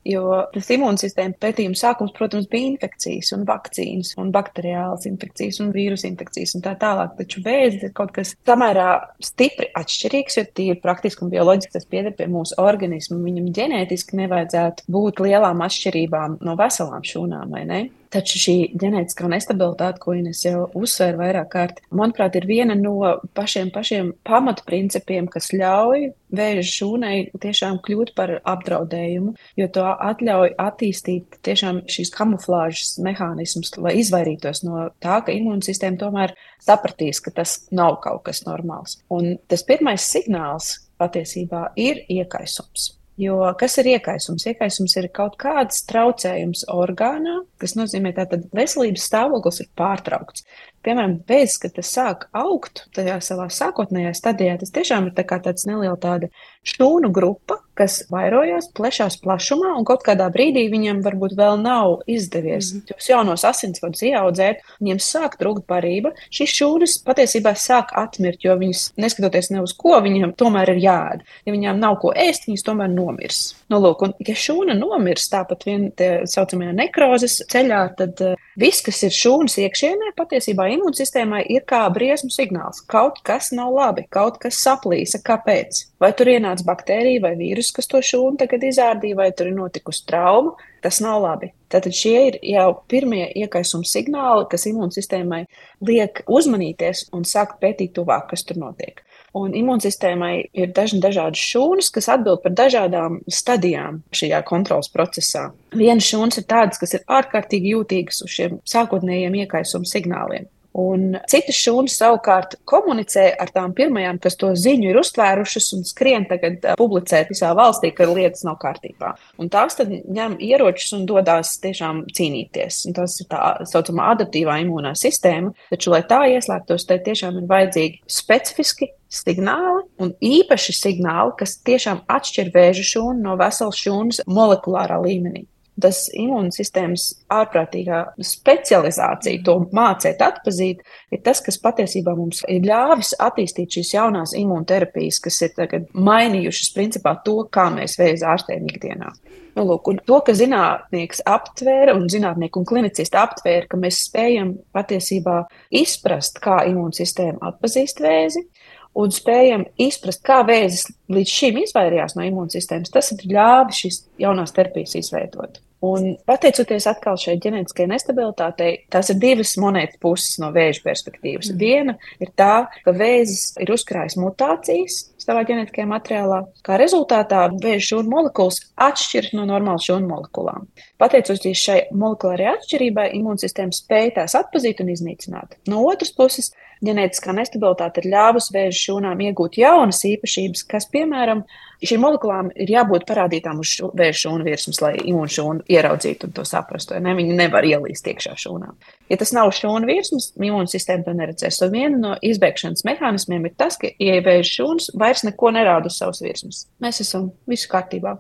Jo tas imūnsistēma pētījuma sākums, protams, bija infekcijas un vakcīnas un bakteriālas infekcijas un vīrusu infekcijas un tā tālāk, taču vēzis ir kaut kas samērā stipri atšķirīgs, jo tīri praktiski un bioloģiski tas pieder pie mūsu organismu. Viņam ģenētiski nevajadzētu būt lielām atšķirībām no veselām šūnām, vai ne? Taču šī ģenētiskā nestabilitāte, ko Ines jau uzsvēra vairāk kārt, manuprāt, ir viena no pašiem, pašiem pamatprincipiem, kas ļauj vēža šūnai tiešām kļūt par apdraudējumu, jo to atļauj attīstīt tiešām šīs kamuflāžas mehānismus, lai izvairītos no tā, ka imūnsistēma tomēr sapratīs, ka tas nav kaut kas normāls. Un tas pirmais signāls patiesībā ir iekaisums. Jo kas ir iekaisums? Iekaisums ir kaut kāds traucējums orgānā, kas nozīmē tātad veselības stāvoklis ir pārtraukts. Piemēram, pēc, kad tas sāk augt tajā savā sākotnējā stadijā, tas tiešām ir tā kā tāds neliela tāda šūnu grupa, kas vairojās, plešās plašumā, un kaut kādā brīdī viņam varbūt vēl nav izdevies mm. tos jaunos asinsvadus ieaudzēt, viņiem sāk trūkt barība. Šīs šūnas patiesībā sāk atmirt, jo viņas, neskatoties ne uz ko, viņam tomēr ir jāēd. Ja viņām nav ko ēst, viņas tomēr nomirs. Nu, lūk, un ja šūna nomirs tāpat vien tie saucamajā nekrozes ceļā, tad uh, viss, kas ir šūnas iekšienē, patiesībā imūnsistēmai ir kā briesmu signāls. Kaut kas nav labi, kaut kas saplīsa. Kāpēc? Vai tur ienāca baktērija vai vīrus, kas to šūnu tagad izārdīja, vai tur ir notikusi trauma? Tas nav labi. Tātad šie ir jau pirmie iekaisuma signāli, kas imūnsistēmai liek uzmanīties un sākt pētīt tuvāk, kas tur notiek. Un imūnsistēmai ir dažni dažādas šūnas, kas atbild par dažādām stadijām šajā kontrolas procesā. Vienas šūnas ir tādas, kas ir ārkārtīgi jūtīgas uz šiem sākotnējiem iekaisuma signāliem. Un citas šūnas savukārt komunicē ar tām pirmajām, kas to ziņu ir uztvērušas un skrien tagad publicēt visā valstī, ka lietas nav kārtībā. Un tās tad ņem ieročus un dodās tiešām cīnīties. Un tas ir tā saucamā adaptīvā imūnā sistēma, taču, lai tā ieslēgtos, tai tiešām ir vajadzīgi specifiski signāli un īpaši signāli, kas tiešām atšķir vēža šūnu no veselas šūnas molekulārā līmenī. Tas imūnsistēmas ārprātīgā specializācija, to mācēt atpazīt, ir tas, kas patiesībā mums ir ļāvis attīstīt šīs jaunās imūnterapijas, kas ir tagad mainījušas principā to, kā mēs vēzi ārstējam ikdienā. Nu, lūk, un to, ka zinātnieks aptvēra un zinātnieki un klinicisti aptvēra, ka mēs spējam patiesībā izprast, kā imūnsistēma atpazīst vēzi, un spējam izprast, kā vēzis līdz šim izvairījās no imūnsistēmas, tas ir ļāvis šīs jaunās terapijas izveidot. Un pateicoties atkal šai ģenētiskajai nestabilitātei, tās ir divas monētas puses no vēža perspektīvas. Mm. Viena ir tā, ka vēzis ir uzkrājis mutācijas savā ģenētiskajā materiālā, kā rezultātā vēža šūnu molekulas atšķiras no normālas šūnu molekulām. Pateicoties šai molekulārajai atšķirībai, imūnsistēma spēja tās atpazīt un iznīcināt. No otras puses, ģenētiskā nestabilitāte ir ļāvusi vēža šūnām iegūt jaunas īpašības, kas, piemēram, šīm molekulām ir jābūt parādītām uz šu, vēža šūnu virsmas, lai imūnšūnu ieraudzītu un to saprastu. Ne? Viņi nevar ielīst iekšā šūnām. Ja tas nav šūnu virsmas, imūnsistēma to neredzēs. Un viena no izbēgšanas mehānismiem ir tas, ka, ja vēža šūnas vairs neko nerāda uz savas virsmas, mēs esam visu kārtībā.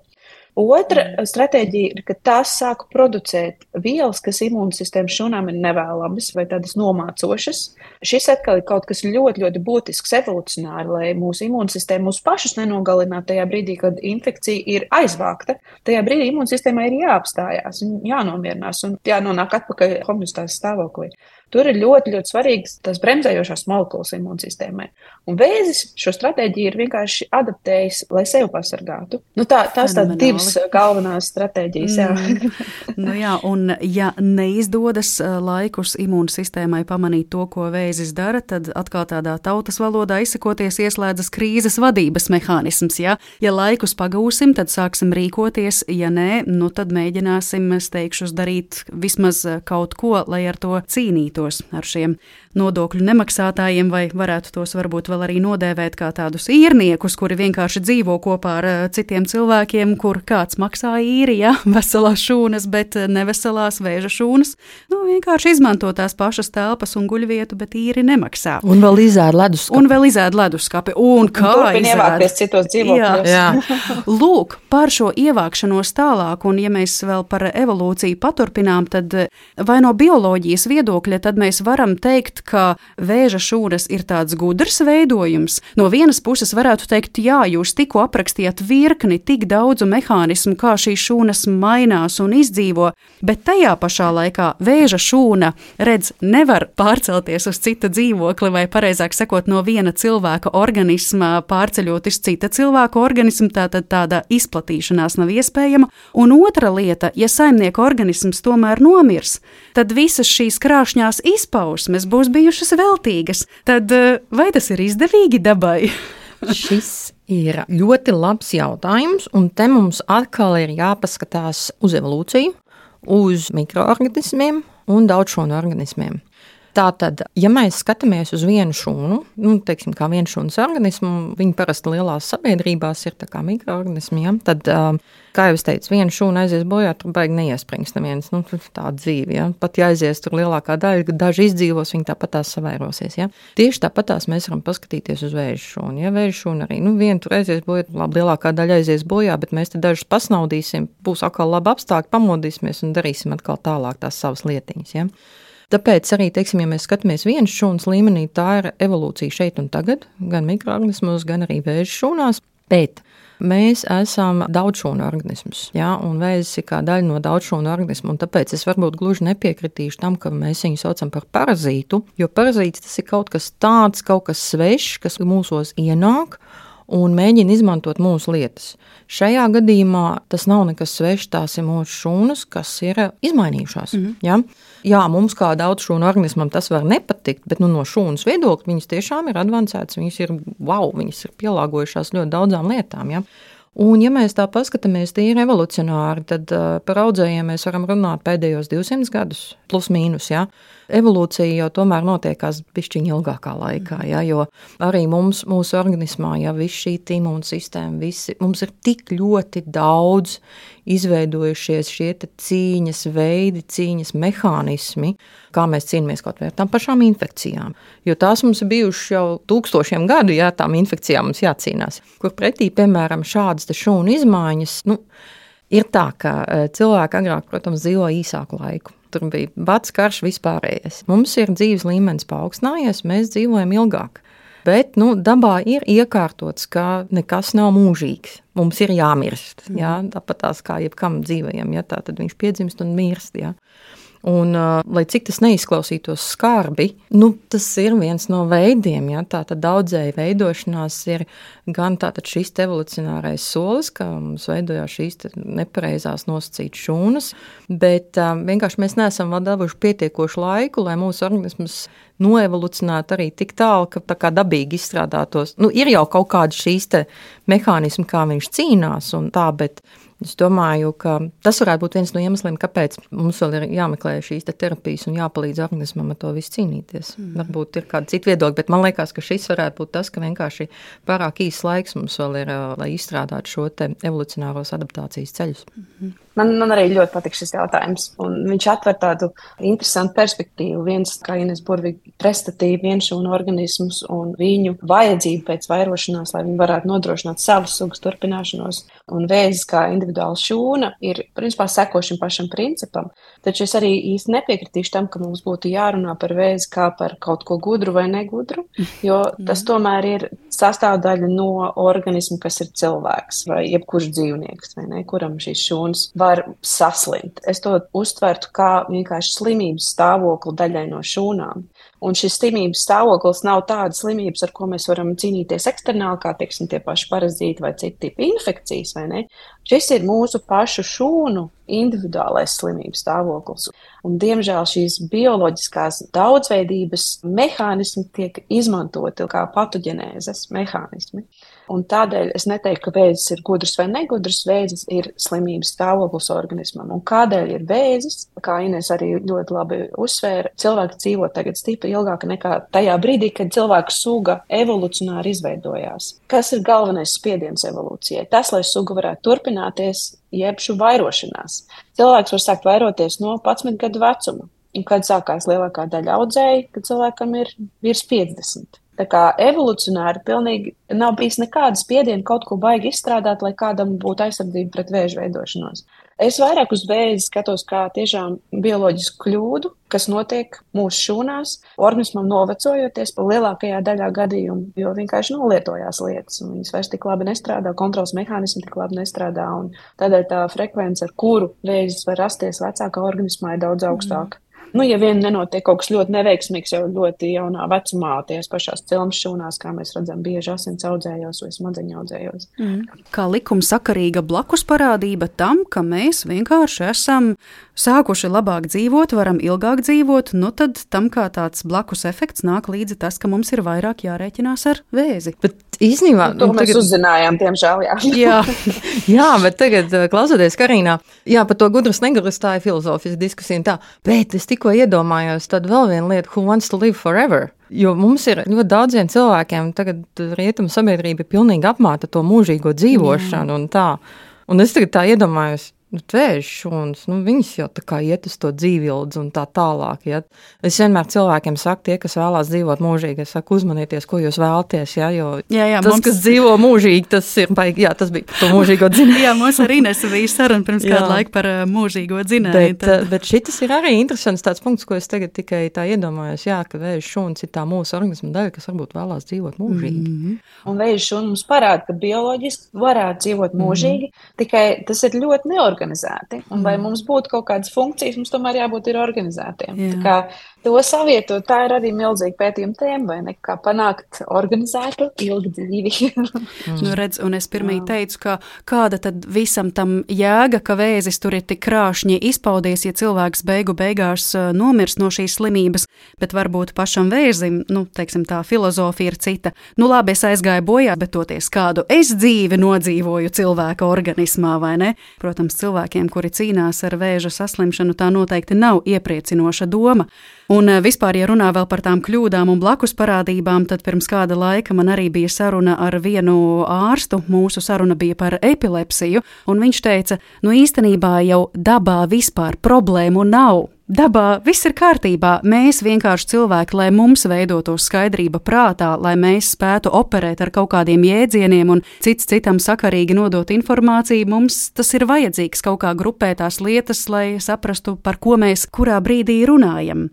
Otra stratēģija ir, ka tās sāk producēt vielas, kas imūnsistēmas šūnām ir nevēlamas vai tādas nomācošas. Šis atkal ir kaut kas ļoti, ļoti būtisks evolucionāri, lai mūsu imūnsistēma mūs pašus nenogalinātu tajā brīdī, kad infekcija ir aizvākta. Tajā brīdī imūnsistēmai ir jāapstājās un jānomierinās un jānonāk atpakaļ homeostāzes stāvoklī. Tur ir ļoti, ļoti svarīgas tās bremzējošās molekulas imūnsistēmai. Un vēzis šo stratēģiju ir vienkārši adaptējis, lai sevi pasargātu. Nu tā, tās tādas divas galvenās stratēģijas. Jā. Mm. Nu jā, un ja neizdodas laikus imūnsistēmai pamanīt to, ko vēzis dara, tad atkal tādā tautas valodā izsakoties ieslēdzas krīzes vadības mehānisms. Ja, ja laikus pagūsim, tad sāksim rīkoties, ja nē, nu tad mēģināsim steigšus darīt vismaz kaut ko, lai ar to cīnītos. Ar šiem nodokļu nemaksātājiem, vai varētu tos varbūt vēl arī nodēvēt kā tādus īrniekus, kuri vienkārši dzīvo kopā ar citiem cilvēkiem, kur kāds maksā īri, ja, veselās šūnas, bet neveselās vēža šūnas. Nu, vienkārši izmanto tās pašas telpas un guļvietu, bet īri nemaksā. Un vēl izēd leduskapi. Un vēl izēd leduskapi. Un kā un ievākties citos dzīvokļos. Jā, jā. Lūk, par šo ievākšanos tālāk, un ja mēs vēl par evolūciju paturpinām, tad vai no bioloģijas viedokļa, tad mēs varam teikt, ka vēža šūnas ir tāds gudrs veidojums. No vienas puses varētu teikt, jā, jūs tikko aprakstījāt virkni tik daudzu mehānismu, kā šīs šūnas mainās un izdzīvo, bet tajā pašā laikā vēža šūna, redz, nevar pārcelties uz cita dzīvokli, vai pareizāk sakot, no viena cilvēka organisma pārceļot uz cita cilvēka organismu, tātad tāda izplatīšanās nav iespējama. Un otra lieta, ja saimnieka organisms tomēr nomirs, tad visas šīs krāšņās izpausmes būs bijušas veltīgas. Tad vai tas ir izdevīgi dabai? Šis ir ļoti labs jautājums, un te mums atkal ir jāpaskatās uz evolūciju, uz mikroorganismiem un daudzšūnu organismiem. Tātad, ja mēs skatāmies uz vienu šūnu, nu, teiksim, kā vienu šūnas organismu, viņi parasti lielās sabiedrībās ir tā kā mikroorganismi, ja? Tad, kā jau es teicu, viena šūna aizies bojā, tur baigi neiesprings neviens, nu, tā dzīve, ja? Pat ja aizies tur lielākā daļa, daži izdzīvos, viņi tāpat tās savairosies, ja? Tieši tāpat tās mēs varam paskatīties uz vēža šūnu, ja? Vēža šūna arī, nu, viena tur aizies bojā, labi, lielākā daļa aizies bojā, bet mēs te dažus pasnaudīsim, būs atkal labi apstākļi, pamodīsimies un darīsim atkal tālāk tās savas lietiņas, ja? Tāpēc arī, teiksim, ja mēs skatāmies vienas šūnas līmenī, tā ir evolūcija šeit un tagad, gan mikroorganismos, gan arī vēža šūnās, bet mēs esam daudzšūnu organismus, ja, un vēzis ir kā daļa no daudzšūnu organismu, un tāpēc es varbūt gluži nepiekritīšu tam, ka mēs viņu saucam par parazītu, jo parazīts tas ir kaut kas tāds, kaut kas svešs, kas mūsos ienāk, un mēģina izmantot mūsu lietas. Šajā gadījumā tas nav nekas svešs, tās ir mūsu šūnas, kas ir izmainījušās. Mm-hmm. Ja? Jā, mums kā daudz šūnu organismam tas var nepatikt, bet nu, no šūnas viedokļa viņas tiešām ir advancētas, viņas ir, wow, viņas ir pielāgojušās ļoti daudzām lietām. Ja? Un ja mēs tā paskatāmies tīri evolucionāri, tad uh, par audzējiem mēs varam runāt pēdējos divsimt gadus, plus mīnus, ja? evolūcija jau tomēr notiekās bišķiņ ilgākā laikā, ja, jo arī mums, mūsu organismā, ja viss šī imūna sistēma, visi, mums ir tik ļoti daudz izveidojušies šie te cīņas veidi, cīņas mehānismi, kā mēs cīnāmies kaut vai ar tām pašām infekcijām. Jo tās mums ir bijušas jau tūkstošiem gadu, ja tām infekcijām mums jācīnās. Kur pretī, piemēram, šādas te šūnu izmaiņas, nu, ir tā, ka cilvēki agrāk, protams, dzīvo īsāku laiku. Tur bija bats, karš, vispārējais. Mums ir dzīves līmenis paaugstinājies, mēs dzīvojam ilgāk. Bet, nu, dabā ir iekārtots, ka nekas nav mūžīgs. Mums ir jāmirst, jā, tāpat tās kā jebkam dzīvajam, ja tā tad viņš piedzimst un mirst, jā. Un, uh, lai cik tas neizklausītos skarbi, nu, tas ir viens no veidiem, ja, tā tad daudzēji veidošanās ir gan tātad šis evolucionārais solis, ka mums veidojās šīs nepareizās nosacītas šūnas, bet uh, vienkārši mēs neesam vēl devuši pietiekošu laiku, lai mūsu organisms noevolucionētu arī tik tālu, ka tā kā dabīgi izstrādātos. Nu, ir jau kaut kādi šīs te mehānismi, kā viņš cīnās un tā, bet es domāju, ka tas varētu būt viens no iemesliem, kāpēc mums vēl ir jāmeklē šīs te terapijas un jāpalīdz organismam ar to visu cīnīties. Mm. Varbūt ir kāda cita viedokļa, bet man liekas, ka šis varētu būt tas, ka vienkārši pārāk īsts laiks mums vēl ir, lai izstrādātu šo te evolucionāros adaptācijas ceļus. Mm-hmm. Man, man arī ļoti patīk šis jautājums, un viņš atver tādu interesantu perspektīvu. Viens, kā Ines burvīgi prestatīja vienšūnu organismus un viņu vajadzību pēc vairošanās, lai viņi varētu nodrošināt savas sugas turpināšanos. Un vēzis kā individuāla šūna ir, principā, seko šim pašam principam. Taču es arī īsti nepiekritīšu tam, ka mums būtu jārunā par vēzi kā par kaut ko gudru vai negudru, jo tas tomēr ir sastāvdaļa no organisma, kas ir cilvēks vai jebkurš dzīvnieks, vai ne, kuram šīs šūnas var saslimt. Es to uztvertu kā vienkārši slimības stāvokli daļai no šūnām. Un šis slimības stāvoklis nav tāda slimības, ar ko mēs varam cīnīties eksternāli, kā, teiksim, tie paši parazīti vai citi tipi infekcijas, vai ne? Šis ir mūsu pašu šūnu individuālais slimības stāvoklis. Un, diemžēl, šīs bioloģiskās daudzveidības mehānismi tiek izmantoti kā patoģenēzes mehānismi. Un tādēļ es neteiktu, ka vēzis ir gudrs vai negudrs, vēzis ir slimības stāvoklis organismam. Un kādēļ ir vēzis? Kā Ines arī ļoti labi uzsvēra, cilvēki dzīvo tagad stipri ilgāk nekā tajā brīdī, kad cilvēka suga evolucionāri izveidojās. Kas ir galvenais spiediens evolūcijai? Tas, lai suga varētu turpināties, jeb šo vairošanās. Cilvēks var sākt vairoties no padsmit gadu vecuma. Un kad sākās lielākā daļa audzēji, kad cilvēkam ir virs piecdesmit. Tā kā evolucionāri pilnīgi nav bijis nekāda spiediena kaut ko baigi izstrādāt, lai kādam būtu aizsardzība pret vēža veidošanos. Es vairāk uz vēzi skatos kā tiešām bioloģisku kļūdu, kas notiek mūsu šūnās, organismam novecojoties pa lielākajā daļā gadījumu, jo vienkārši nolietojās lietas, un viņas vairs tik labi nestrādā, kontrols mehānismi tik labi nestrādā, un tādēļ tā frekvence, ar kuru vēzis var rasties vecākā organismā, ir daudz augstāka. Mm. Nu, ja vien nenotiek kaut kas ļoti neveiksmīgs jau ļoti jaunā vecumā, tās pašās cilmes šūnās, kā mēs redzam, bieži asins audzējos vai smadzeņu audzējos. Mm. Kā likumsakarīga blakus parādība tam, ka mēs vienkārši esam sākuši labāk dzīvot, varam ilgāk dzīvot, nu tad tam kā tāds blakus efekts nāk līdzi tas, ka mums ir vairāk jārēķinās ar vēzi. Bet īstenībā... Nu, to mēs tagad... uzzinājām, diemžēl, jā. jā. Jā, bet tagad klausoties Karīnā, jā, par to gudras negudras tā ir filozofijas diskusija un tā, bet es tikko iedomājos tad vēl viena lieta, who wants to live forever? Jo mums ir ļoti daudziem cilvēkiem, tagad rietumu sabiedrība ir pilnīgi apmāta to mūžīgo dzīvošanu un tā. Un es tagad tā iedomājos, nu, vēža šūnas, nu, viņas jau tā kā iet uz to dzīvildzi un tā tālāk. Ja? Es vienmēr cilvēkiem saku, tie, kas vēlās dzīvot mūžīgi, es saku, uzmanieties, ko jūs vēlaties, ja? Jo jā, jā, tas, mums... kas dzīvo mūžīgi, tas ir baigi, jā, tas bija to mūžīgo dzinēju. Jā, mums arī nesa bija saruna pirms kādu laiku par uh, mūžīgo dzinēju. Bet, tad... bet šitas ir arī interesants tāds punkts, ko es tagad tikai tā iedomājos, jā, ka vēža šūnas ir tā mūsu organisma daļa, kas varbūt vēlās dzīvot mūžīgi. Mm-hmm. Un vēža šūna mums parāda, ka bioloģiski varētu dzīvot mūžīgi, mm-hmm. tikai tas ir ļoti neorganizēti. Un, lai mums būtu kaut kādas funkcijas, mums tomēr jābūt ir organizētiem. Jā. Tā kā to savietot, tā ir arī milzīga pētījuma tēma, vai ne? Kā panākt organizētu ilgu dzīvi. mm. Nu, redz, un es pirmī Jā. teicu, ka kāda tad visam tam jēga, ka vēzis tur ir tik krāšņi izpaudies, ja cilvēks beigu beigās nomirs no šīs slimības, bet varbūt pašam vēzim, nu, teiksim, tā filozofija ir cita. Nu, labi, es aizgāju bojā, bet toties kādu es dzīvi nodzīvoju cilvēka organismā, vai ne? Protams, cilvēks cilvēkiem, kuri cīnās ar vēža saslimšanu, tā noteikti nav iepriecinoša doma. Un vispār, ja runā vēl par tām kļūdām un blakus parādībām, tad pirms kāda laika man arī bija saruna ar vienu ārstu. Mūsu saruna bija par epilepsiju, un viņš teica, nu īstenībā jau dabā vispār problēmu nav. Dabā viss ir kārtībā, mēs vienkārši cilvēki, lai mums veidotos skaidrība prātā, lai mēs spētu operēt ar kaut kādiem jēdzieniem un cits citam sakarīgi nodot informāciju, mums tas ir vajadzīgs kaut kā grupēt tās lietas, lai saprastu, par ko mēs kurā brīdī runājam.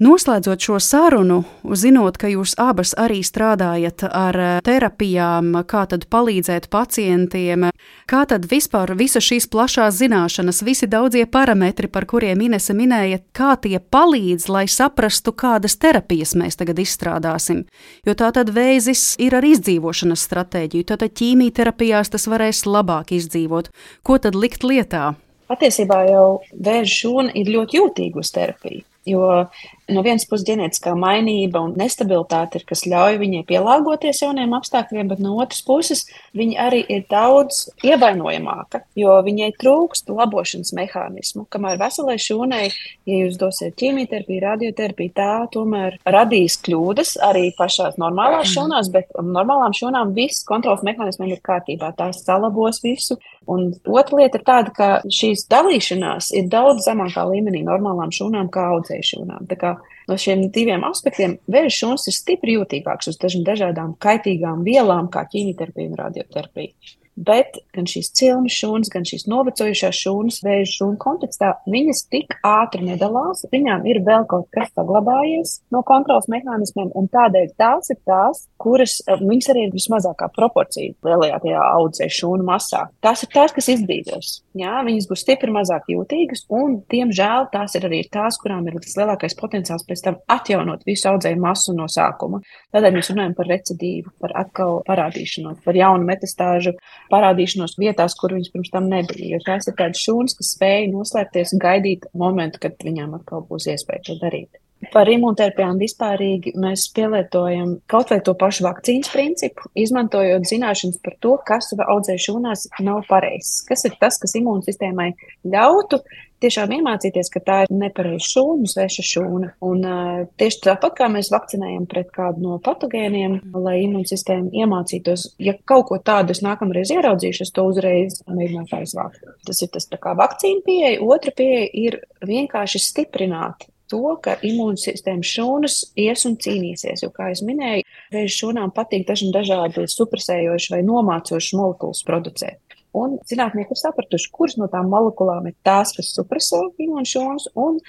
Noslēdzot šo sarunu, zinot, ka jūs abas arī strādājat ar terapijām, kā tad palīdzēt pacientiem, kā tad vispār visas šīs plašās zināšanas, visi daudzie parametri, par kuriem Inese minēja, kā tie palīdz, lai saprastu, kādas terapijas mēs tagad izstrādāsim. Jo tā tad vēzis ir ar izdzīvošanas stratēģiju, tātad ķīmijterapijās tas varēs labāk izdzīvot. Ko tad likt lietā? Patiesībā jau vēža šūna ir ļoti jūtīga uz terapiju. Jo no vienas puses ģenētiskā mainība un nestabilitāte ir, kas ļauj viņai pielāgoties jauniem apstākļiem, bet no otras puses viņa arī ir daudz ievainojamāka, jo viņai trūkst labošanas mehānismu, kamēr veselai šūnai, ja jūs dosiet ķīmijterapiju, radioterapiju, tā tomēr radīs kļūdas arī pašās normālās šūnās, bet normālām šūnām viss kontrols mehānismiem ir kārtībā, tās salabos visu. Un otra lieta ir tāda, ka šīs dalīšanās ir daudz zemākā līmenī normālām šūnām kā audzēju šūnām. Tā kā no šiem diviem aspektiem vēža šūnas ir stipri jūtīgāks uz dažādām kaitīgām vielām, kā ķīmijterapija un radioterapija. Bet gan šīs cilmes šūnas, gan šīs novecojušās šūnas vēža šūnu kontekstā, viņas tik ātri nedalās, viņām ir vēl kaut kas saglabājies no kontrols mehānismiem, un tādēļ tās ir tās, kuras, viņas arī ir vismazākā proporcija lielajā tajā audzēju šūnu masā. Tās ir tās, kas izdzīvos. Jā, viņas būs stipri mazāk jūtīgas, un, diemžēl, tās ir arī tās, kurām ir tas lielākais potenciāls pēc tam atjaunot visu audzēju masu no sākuma. Tādēļ mēs runājam par recidīvu, par atkal parādīšanos, par jaunu metastāžu parādīšanos vietās, kur viņas pirms tam nebija. Jo tās ir tādas šūnas, kas spēja noslēpties un gaidīt momentu, kad viņām atkal būs iespēja to darīt. Par imunterapijām vispārīgi mēs pielietojam kaut vai to pašu vakcīnas principu, izmantojot zināšanas par to, kas audzēju šūnās nav pareizs. Kas ir tas, kas imūnsistēmai ļautu tiešām iemācīties, ka tā ir nepareiza šūna, sveša šūna. Un uh, tieši tāpat kā mēs vakcinējam pret kādu no patogēniem, lai imūnsistēma iemācītos, ja kaut ko tādu es nākamreiz ieraudzīšu, es to uzreiz mēģināšu aizvākt. Tas ir tas tā kā vakcīna pieeja. Otra pieeja ir vienkārši stiprināt to, ka imūnsistēmas šūnas ies un cīnīsies, jo, kā es minēju, vēža šūnām patīk dažādi supresējoši vai nomācoši molekulas producēt. Un zinātnieki ir sapratuši, kuras no tām molekulām ir tās, kas supresē imūnšūnas, un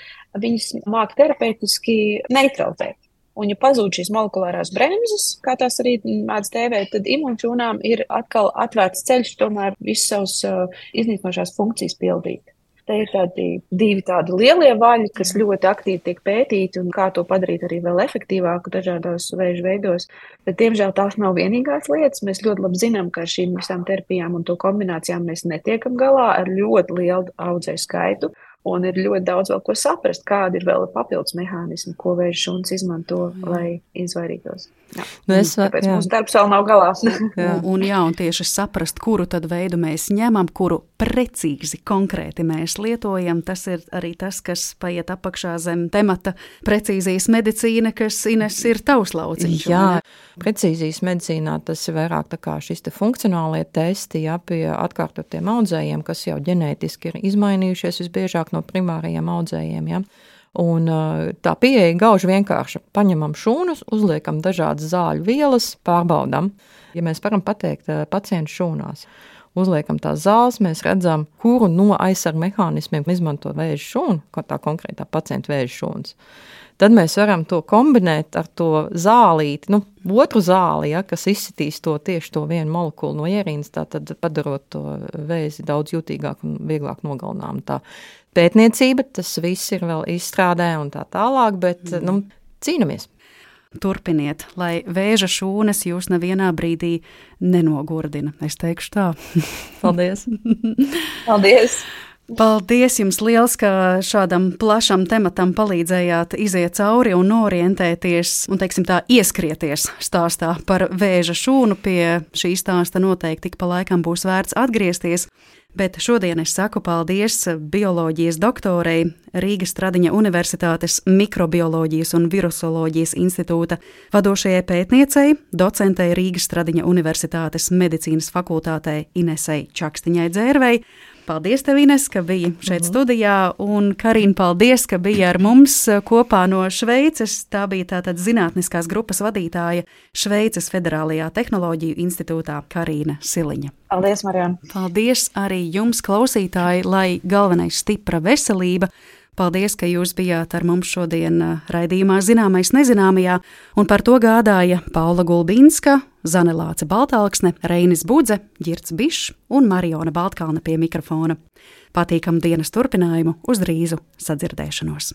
viņas māk terapeitiski neutralizēt. Un, ja pazūd šīs molekulārās bremzes, kā tās arī mēdz tēvēt, tad imūnšūnām ir atkal atvērts ceļš tomēr visas savas uh, iznīcinošās funkcijas pildīt. Te ir tādi divi tādi lielie vaļi, kas ļoti aktīvi tiek pētīti un kā to padarīt arī vēl efektīvāku dažādos vēža veidos. Bet, diemžēl, tās nav vienīgās lietas. Mēs ļoti labi zinām, ka ar šīm visām terapijām un to kombinācijām mēs netiekam galā ar ļoti lielu audzēju skaitu. Un ir ļoti daudz vēl ko saprast, kādi ir vēl papildus mehānismi, ko vēža šūnas izmanto, lai izvairītos. Jā. Nu es, Tāpēc jā. Mūsu darbs vēl nav galā. Jā. Un, un jā, un tieši saprast, kuru tad veidu mēs ņemam, kuru precīzi, konkrēti mēs lietojam, tas ir arī tas, kas paiet apakšā zem temata precīzijas medicīna, kas, Ines, ir tavs lauciņš. Jā, precīzijas medicīnā tas ir vairāk tā kā šis te funkcionālie testi, jā, pie atkārtotiem audzējiem, kas jau ģenētiski ir izmainījušies visbiežāk no primārajiem audzējiem, jā. Un tā pieeja gauži vienkārši. Paņemam šūnas, uzliekam dažādas zāļu vielas, pārbaudam. Ja mēs varam pateikt pacientu šūnās, uzliekam tās zāles, mēs redzam, kuru no aizsargu mehānismiem izmanto vēža šūnu, kā tā konkrētā pacienta vēža šūnas. Tad mēs varam to kombinēt ar to zālīti, nu, otru zāli, ja, kas izsitīs to tieši to vienu molekulu no ierīnas, tā tad padarot to vēzi daudz jūtīgāk un vieglāk nogalinām. Tā pētniecība, tas viss ir vēl izstrādē un tā tālāk, bet, mm. nu, cīnamies. Turpiniet, lai vēža šūnas jūs nevienā brīdī nenogurdina. Es teikšu tā. Paldies. Paldies. Paldies jums liels, ka šādam plašam tematam palīdzējāt iziet cauri un orientēties un, teiksim tā, ieskrieties stāstā par vēža šūnu. Pie šī stāsta noteikti tik pa laikam būs vērts atgriezties. Bet šodien es saku paldies bioloģijas doktorei, Rīgas Stradiņa Universitātes Mikrobioloģijas un Virusoloģijas institūta vadošajai pētniecei, docentei Rīgas Stradiņa Universitātes medicīnas fakultātei Inesei Čakstiņai Dzērvei. Paldies tev, Ines, ka biji šeit mm-hmm. studijā, un Karina, paldies, ka biji ar mums kopā no Šveices. Tā bija tātad zinātniskās grupas vadītāja Šveices Federālajā tehnoloģiju institūtā Karina Siliņa. Paldies, Marijona. Paldies arī jums, klausītāji, lai galvenais stipra veselība. Paldies, ka jūs bijāt ar mums šodien raidījumā Zināmais nezināmajā, un par to gādāja Paula Gulbinska, Zane Lāce Baltāksne, Reinis Budze, Ģirds Bišs un Mariona Baltkalne pie mikrofona. Patīkamu dienas turpinājumu, uz drīzu sadzirdēšanos!